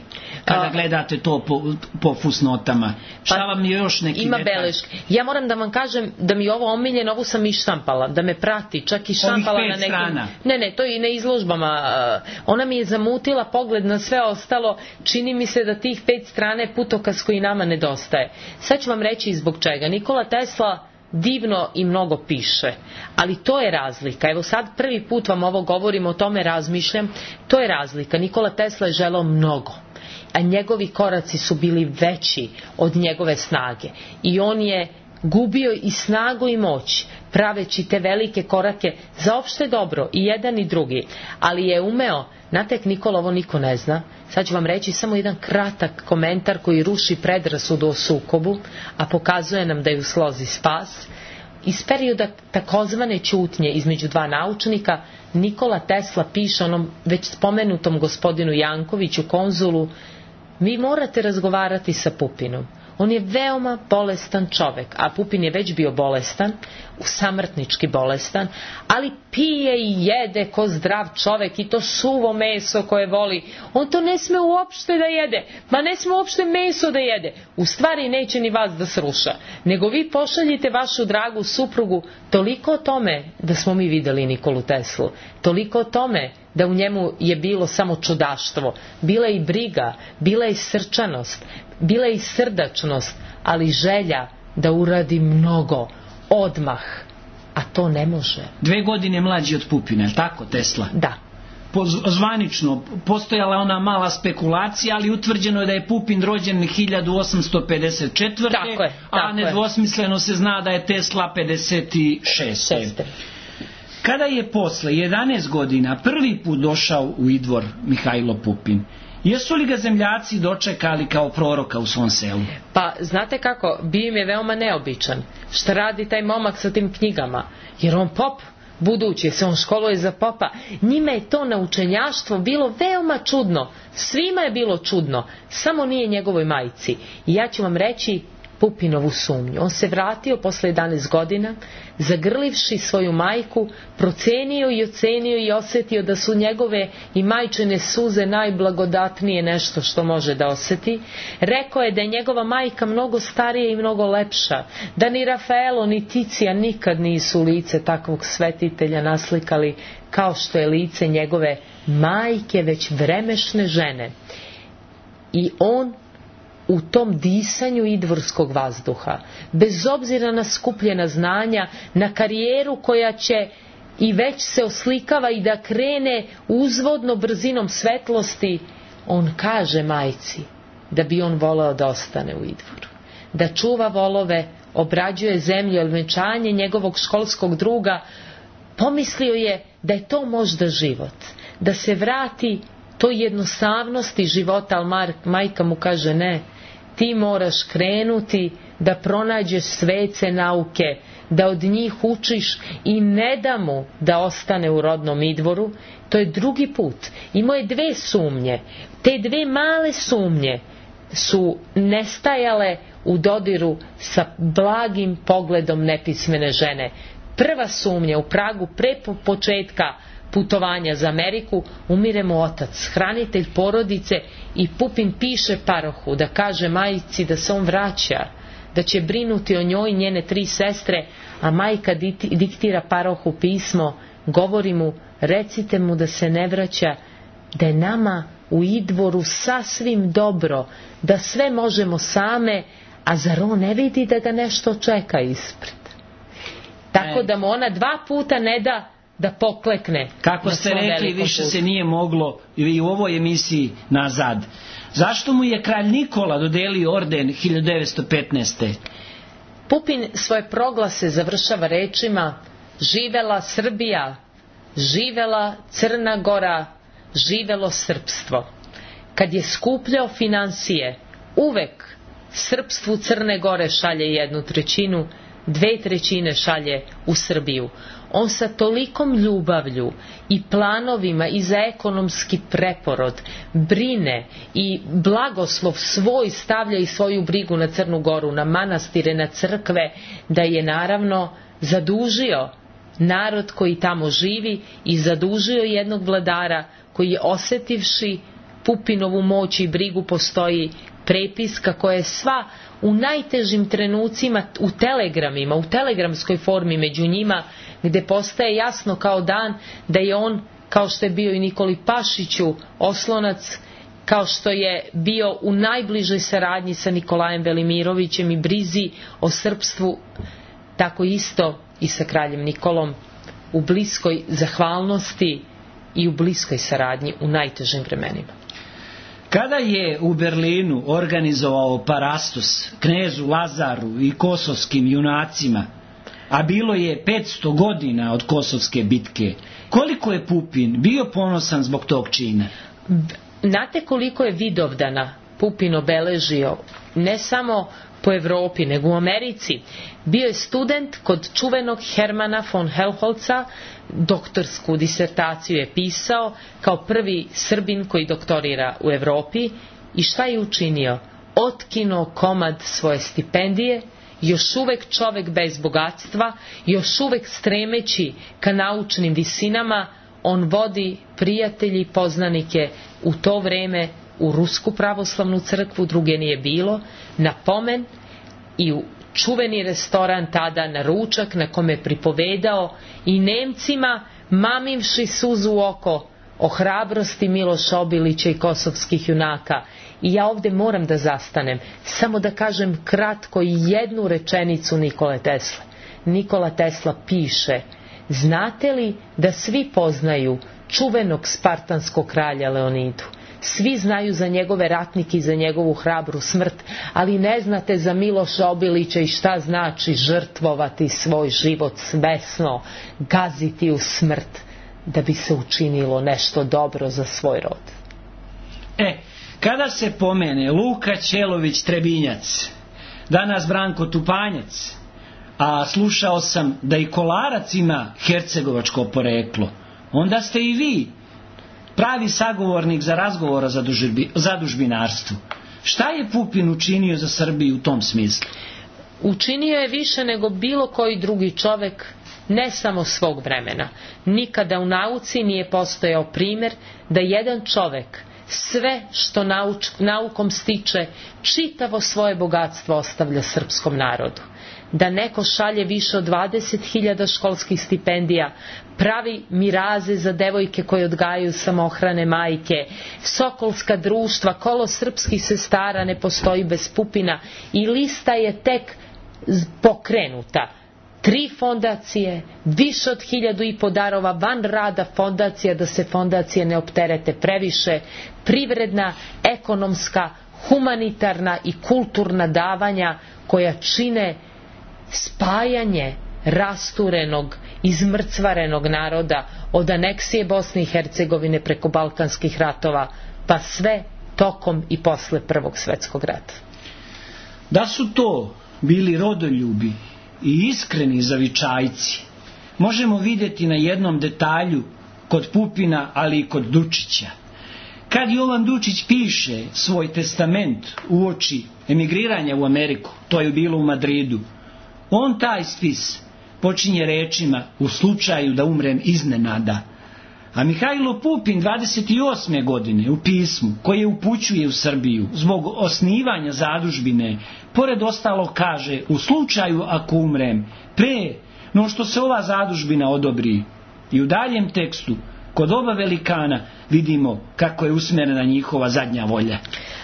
kada A, gledate to po, po fusnotama? Šta pa, vam je još neki ima detalj? Beleške. Ja moram da vam kažem da mi je ovo omiljeno, ovu sam i štampala, da me prati, čak i štampala na nekim... Strana. Ne, ne, to i na izložbama. Ona mi je zamutila pogled na sve ostalo, čini mi se da tih pet strane putokaz koji nama nedostaje. Sad ću vam reći zbog čega. Nikola Tesla divno i mnogo piše, ali to je razlika. Evo sad prvi put vam ovo govorim, o tome razmišljam. To je razlika. Nikola Tesla je želeo mnogo, a njegovi koraci su bili veći od njegove snage i on je gubio i snagu i moć praveći te velike korake za opšte dobro, i jedan i drugi, ali je umeo. Znate, Nikola, ovo niko ne zna, sad ću vam reći samo jedan kratak komentar koji ruši predrasudu o sukobu, a pokazuje nam da je u slozi spas. Iz perioda takozvane ćutnje između dva naučnika, Nikola Tesla piše onom već spomenutom gospodinu Jankoviću, konzulu: vi morate razgovarati sa Pupinom. On je veoma bolestan čovek, a Pupin je već bio bolestan, samrtnički bolestan, ali pije i jede ko zdrav čovek, i to suvo meso koje voli. On to ne sme uopšte da jede, ma ne sme uopšte meso da jede. U stvari neće ni vas da sruša, nego vi pošaljite vašu dragu suprugu. Toliko o tome da smo mi videli Nikolu Teslu, toliko o tome da u njemu je bilo samo čudaštvo, bila je i briga, bila je i srčanost, bila je i srdačnost, ali želja da uradi mnogo, odmah, a to ne može. Dve godine mlađi od Pupina, je tako Tesla? Da. zvanično postojala ona mala spekulacija, ali utvrđeno je da je Pupin rođen hiljadu osamsto pedeset četvrte. Tako je, tako a nedvosmisleno se zna da je Tesla pedeset šeste. Kada je posle jedanaest godina prvi put došao u Idvor Mihajlo Pupin, jesu li ga zemljaci dočekali kao proroka u svom selu? Pa, znate kako, bio im je veoma neobičan. Šta radi taj momak sa tim knjigama? Jer on pop, budući se on školuje za popa. Njima je to naučenjaštvo bilo veoma čudno. Svima je bilo čudno, samo nije njegovoj majci. I ja ću vam reći Pupinovu sumnju. On se vratio posle jedanaest godina, zagrlivši svoju majku, procenio i ocenio i osjetio da su njegove i majčine suze najblagodatnije nešto što može da osjeti. Rekao je da je njegova majka mnogo starija i mnogo lepša, da ni Rafaelo ni Ticija nikad nisu lice takvog svetitelja naslikali kao što je lice njegove majke, već vremešne žene. I on u tom disanju idvorskog vazduha, bez obzira na skupljena znanja, na karijeru koja će i već se oslikava i da krene uzvodno brzinom svetlosti, on kaže majci da bi on voleo da ostane u Idvoru, da čuva volove, obrađuje zemlju, jer venčanje njegovog školskog druga, pomislio je da je to možda život, da se vrati toj jednostavnosti života, ali majka mu kaže ne, ti moraš krenuti da pronađeš svece nauke, da od njih učiš i ne da mu da ostane u rodnom Idvoru. To je drugi put. Imao je dve sumnje. Te dve male sumnje su nestajale u dodiru sa blagim pogledom nepismene žene. Prva sumnja u Pragu pre početka putovanja za Ameriku, umire mu otac, hranitelj porodice, i Pupin piše parohu da kaže majci da se on vraća, da će brinuti o njoj i njene tri sestre, a majka diktira parohu pismo, govori mu, recite mu da se ne vraća, da je nama u Idvoru sasvim dobro, da sve možemo same, a zar on ne vidi da ga nešto čeka ispred? Tako da mu ona dva puta ne da da poklekne. Kako ste rekli, više se nije moglo i u ovoj emisiji nazad. Zašto mu je kralj Nikola dodelio orden hiljadu devetsto petnaeste. Pupin svoje proglase završava rečima: živela Srbija, živela Crna Gora, živelo srpstvo. Kad je skupljao finansije, uvek srpstvu Crne Gore šalje jednu trećinu, dve trećine šalje u Srbiju. On sa tolikom ljubavlju i planovima i za ekonomski preporod brine i blagoslov svoj stavlja i svoju brigu na Crnu Goru, na manastire, na crkve, da je naravno zadužio narod koji tamo živi i zadužio jednog vladara koji je, osjetivši Pupinovu moć i brigu, postoji prepiska koja je sva u najtežim trenucima u telegramima, u telegramskoj formi među njima, gde postaje jasno kao dan da je on, kao što je bio i Nikoli Pašiću oslonac, kao što je bio u najbližoj saradnji sa Nikolajem Velimirovićem i brizi o srpstvu, tako isto i sa kraljem Nikolom, u bliskoj zahvalnosti i u bliskoj saradnji u najtežim vremenima. Kada je u Berlinu organizovao parastos knezu Lazaru i kosovskim junacima, a bilo je petsto godina od Kosovske bitke, koliko je Pupin bio ponosan zbog tog čina? Znate koliko je Vidovdana Pupin obeležio, ne samo po Evropi, nego u Americi. Bio je student kod čuvenog Hermana von Helmholtza, doktorsku disertaciju je pisao kao prvi Srbin koji doktorira u Evropi. I šta je učinio? Otkinuo komad svoje stipendije, još uvek čovek bez bogatstva, još uvek stremeći ka naučnim visinama, on vodi prijatelji i poznanike u to vreme u Rusku pravoslavnu crkvu, druge nije bilo, na pomen i u čuveni restoran tada na ručak na kome je pripovedao i Nemcima, mamivši suzu u oko, o hrabrosti Miloša Obilića i kosovskih junaka. I ja ovdje moram da zastanem, samo da kažem kratko jednu rečenicu Nikole Tesle. Nikola Tesla piše: znate li da svi poznaju čuvenog spartanskog kralja Leonidu. Svi znaju za njegove ratnike i za njegovu hrabru smrt, ali ne znate za Miloša Obilića i šta znači žrtvovati svoj život svesno, gaziti u smrt da bi se učinilo nešto dobro za svoj rod. E, kada se pomene Luka Ćelović Trebinjac, danas Branko Tupanjac, a slušao sam da i Kolarac ima hercegovačko poreklo, onda ste i vi pravi sagovornik za razgovor o zadužbinarstvu. Šta je Pupin učinio za Srbiju u tom smislu? Učinio je više nego bilo koji drugi čovjek, ne samo svog vremena. Nikada u nauci nije postojao primjer da jedan čovjek sve što nauč, naukom stiče, čitavo svoje bogatstvo ostavlja srpskom narodu. Da neko šalje više od dvadeset hiljada školskih stipendija, pravi miraze za devojke koje odgajaju samohrane majke, sokolska društva, kolo srpskih sestara ne postoji bez Pupina i lista je tek pokrenuta. Tri fondacije, više od hiljadu i po darova van rada fondacija, da se fondacije ne opterete previše, privredna, ekonomska, humanitarna i kulturna davanja koja čine spajanje rasturenog, izmrcvarenog naroda od aneksije Bosne i Hercegovine preko balkanskih ratova pa sve tokom i posle Prvog svjetskog rata. Da su to bili rodoljubi i iskreni zavičajci možemo vidjeti na jednom detalju kod Pupina, ali i kod Dučića. Kad Jovan Dučić piše svoj testament uoči emigriranja u Ameriku, to je bilo u Madridu, on taj spis počinje rečima u slučaju da umrem iznenada. A Mihajlo Pupin dvadeset osme godine u pismu koje upućuje u Srbiju zbog osnivanja zadužbine, pored ostalo kaže u slučaju ako umrem, pre no što se ova zadužbina odobri. I u daljem tekstu kod oba velikana vidimo kako je usmjerena njihova zadnja volja.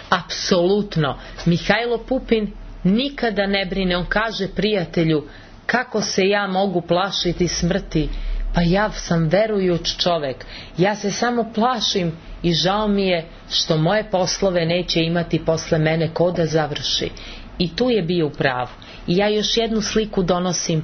Apsolutno. Mihajlo Pupin nikada ne brine, on kaže prijatelju, kako se ja mogu plašiti smrti, pa ja sam verujuć čovjek, ja se samo plašim i žao mi je što moje poslove neće imati posle mene ko da završi. I tu je bio u pravu. I ja još jednu sliku donosim,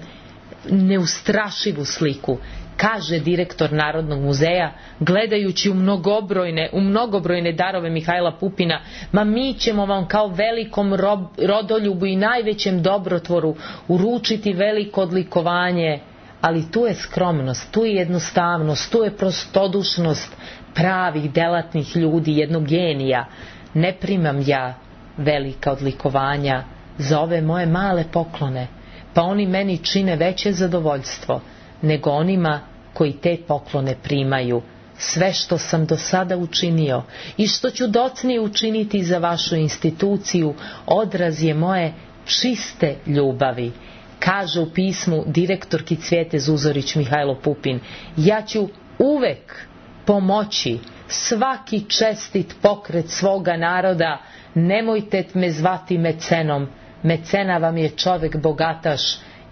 neustrašivu sliku. Kaže direktor Narodnog muzeja, gledajući u mnogobrojne, u mnogobrojne darove Mihajla Pupina, ma mi ćemo vam kao velikom rob, rodoljubu i najvećem dobrotvoru uručiti veliko odlikovanje, ali tu je skromnost, tu je jednostavnost, tu je prostodušnost pravih delatnih ljudi, jednog genija. Ne primam ja velika odlikovanja za ove moje male poklone, pa oni meni čine veće zadovoljstvo nego onima koji te poklone primaju. Sve što sam do sada učinio i što ću docnije učiniti za vašu instituciju odraz je moje čiste ljubavi. Kaže u pismu direktorki Cvjete Zuzorić Mihajlo Pupin, ja ću uvek pomoći svaki čestit pokret svoga naroda, nemojte me zvati mecenom, mecena vam je čovjek bogataš,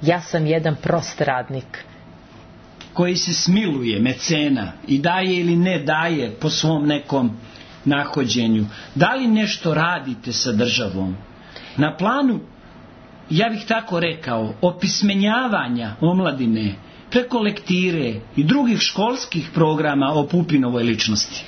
ja sam jedan prost radnik. Koji se smiluje, mecena, i daje ili ne daje po svom nekom nahođenju. Da li nešto radite sa državom? Na planu, ja bih tako rekao, opismenjavanja omladine preko lektire i drugih školskih programa o Pupinovoj ličnosti.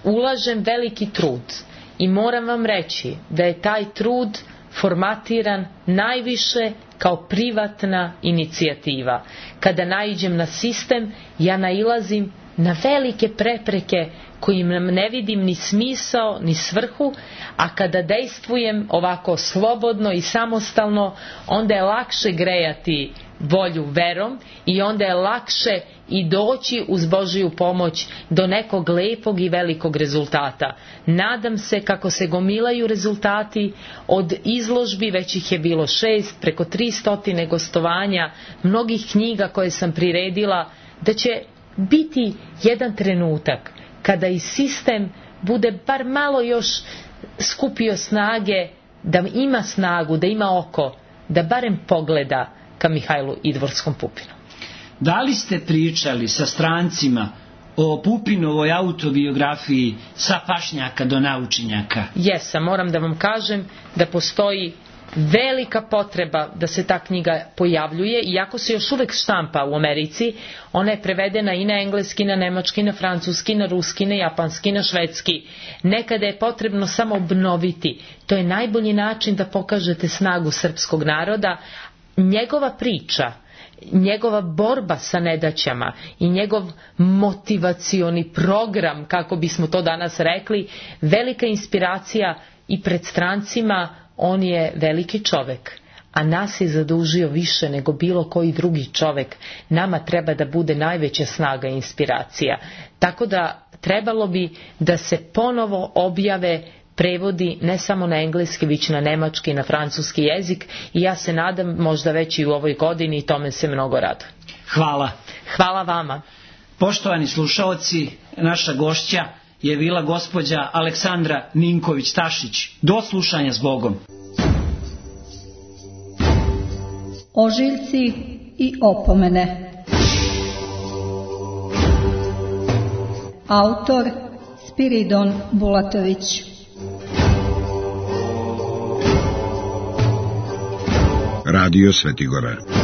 Ulažem veliki trud i moram vam reći da je taj trud formatiran najviše kao privatna inicijativa. Kada naiđem na sistem, ja nailazim na velike prepreke kojim ne vidim ni smisao ni svrhu, a kada dejstvujem ovako slobodno i samostalno, onda je lakše grejati volju verom i onda je lakše i doći uz Božiju pomoć do nekog lepog i velikog rezultata. Nadam se kako se gomilaju rezultati od izložbi, već ih je bilo šest, preko tristotine gostovanja, mnogih knjiga koje sam priredila, da će biti jedan trenutak kada i sistem bude bar malo još skupio snage, da ima snagu, da ima oko, da barem pogleda ka Mihajlu Idvorskom Pupinu. Da li ste pričali sa strancima o Pupinovoj autobiografiji sa pašnjaka do naučinjaka. Jesam, moram da vam kažem da postoji velika potreba da se ta knjiga pojavljuje, iako se još uvek štampa u Americi. Ona je prevedena i na engleski, na nemački, na francuski, na ruski, na japanski, na švedski. Nekada je potrebno samo obnoviti. To je najbolji način da pokažete snagu srpskog naroda. Njegova priča, njegova borba sa nedaćama i njegov motivacioni program, kako bismo to danas rekli, velika inspiracija i pred strancima. On je veliki čovek, a nas je zadužio više nego bilo koji drugi čovek. Nama treba da bude najveća snaga i inspiracija. Tako da trebalo bi da se ponovo objave prevodi ne samo na engleski, već na nemački i na francuski jezik, i ja se nadam možda već i u ovoj godini, i tome se mnogo radujem. Hvala. Hvala vama. Poštovani slušaoci, naša gošća je bila gospođa Aleksandra Ninković-Tašić. Do slušanja s Bogom. Ožiljci i opomene. Autor Spiridon Bulatović. Radio Svetigora.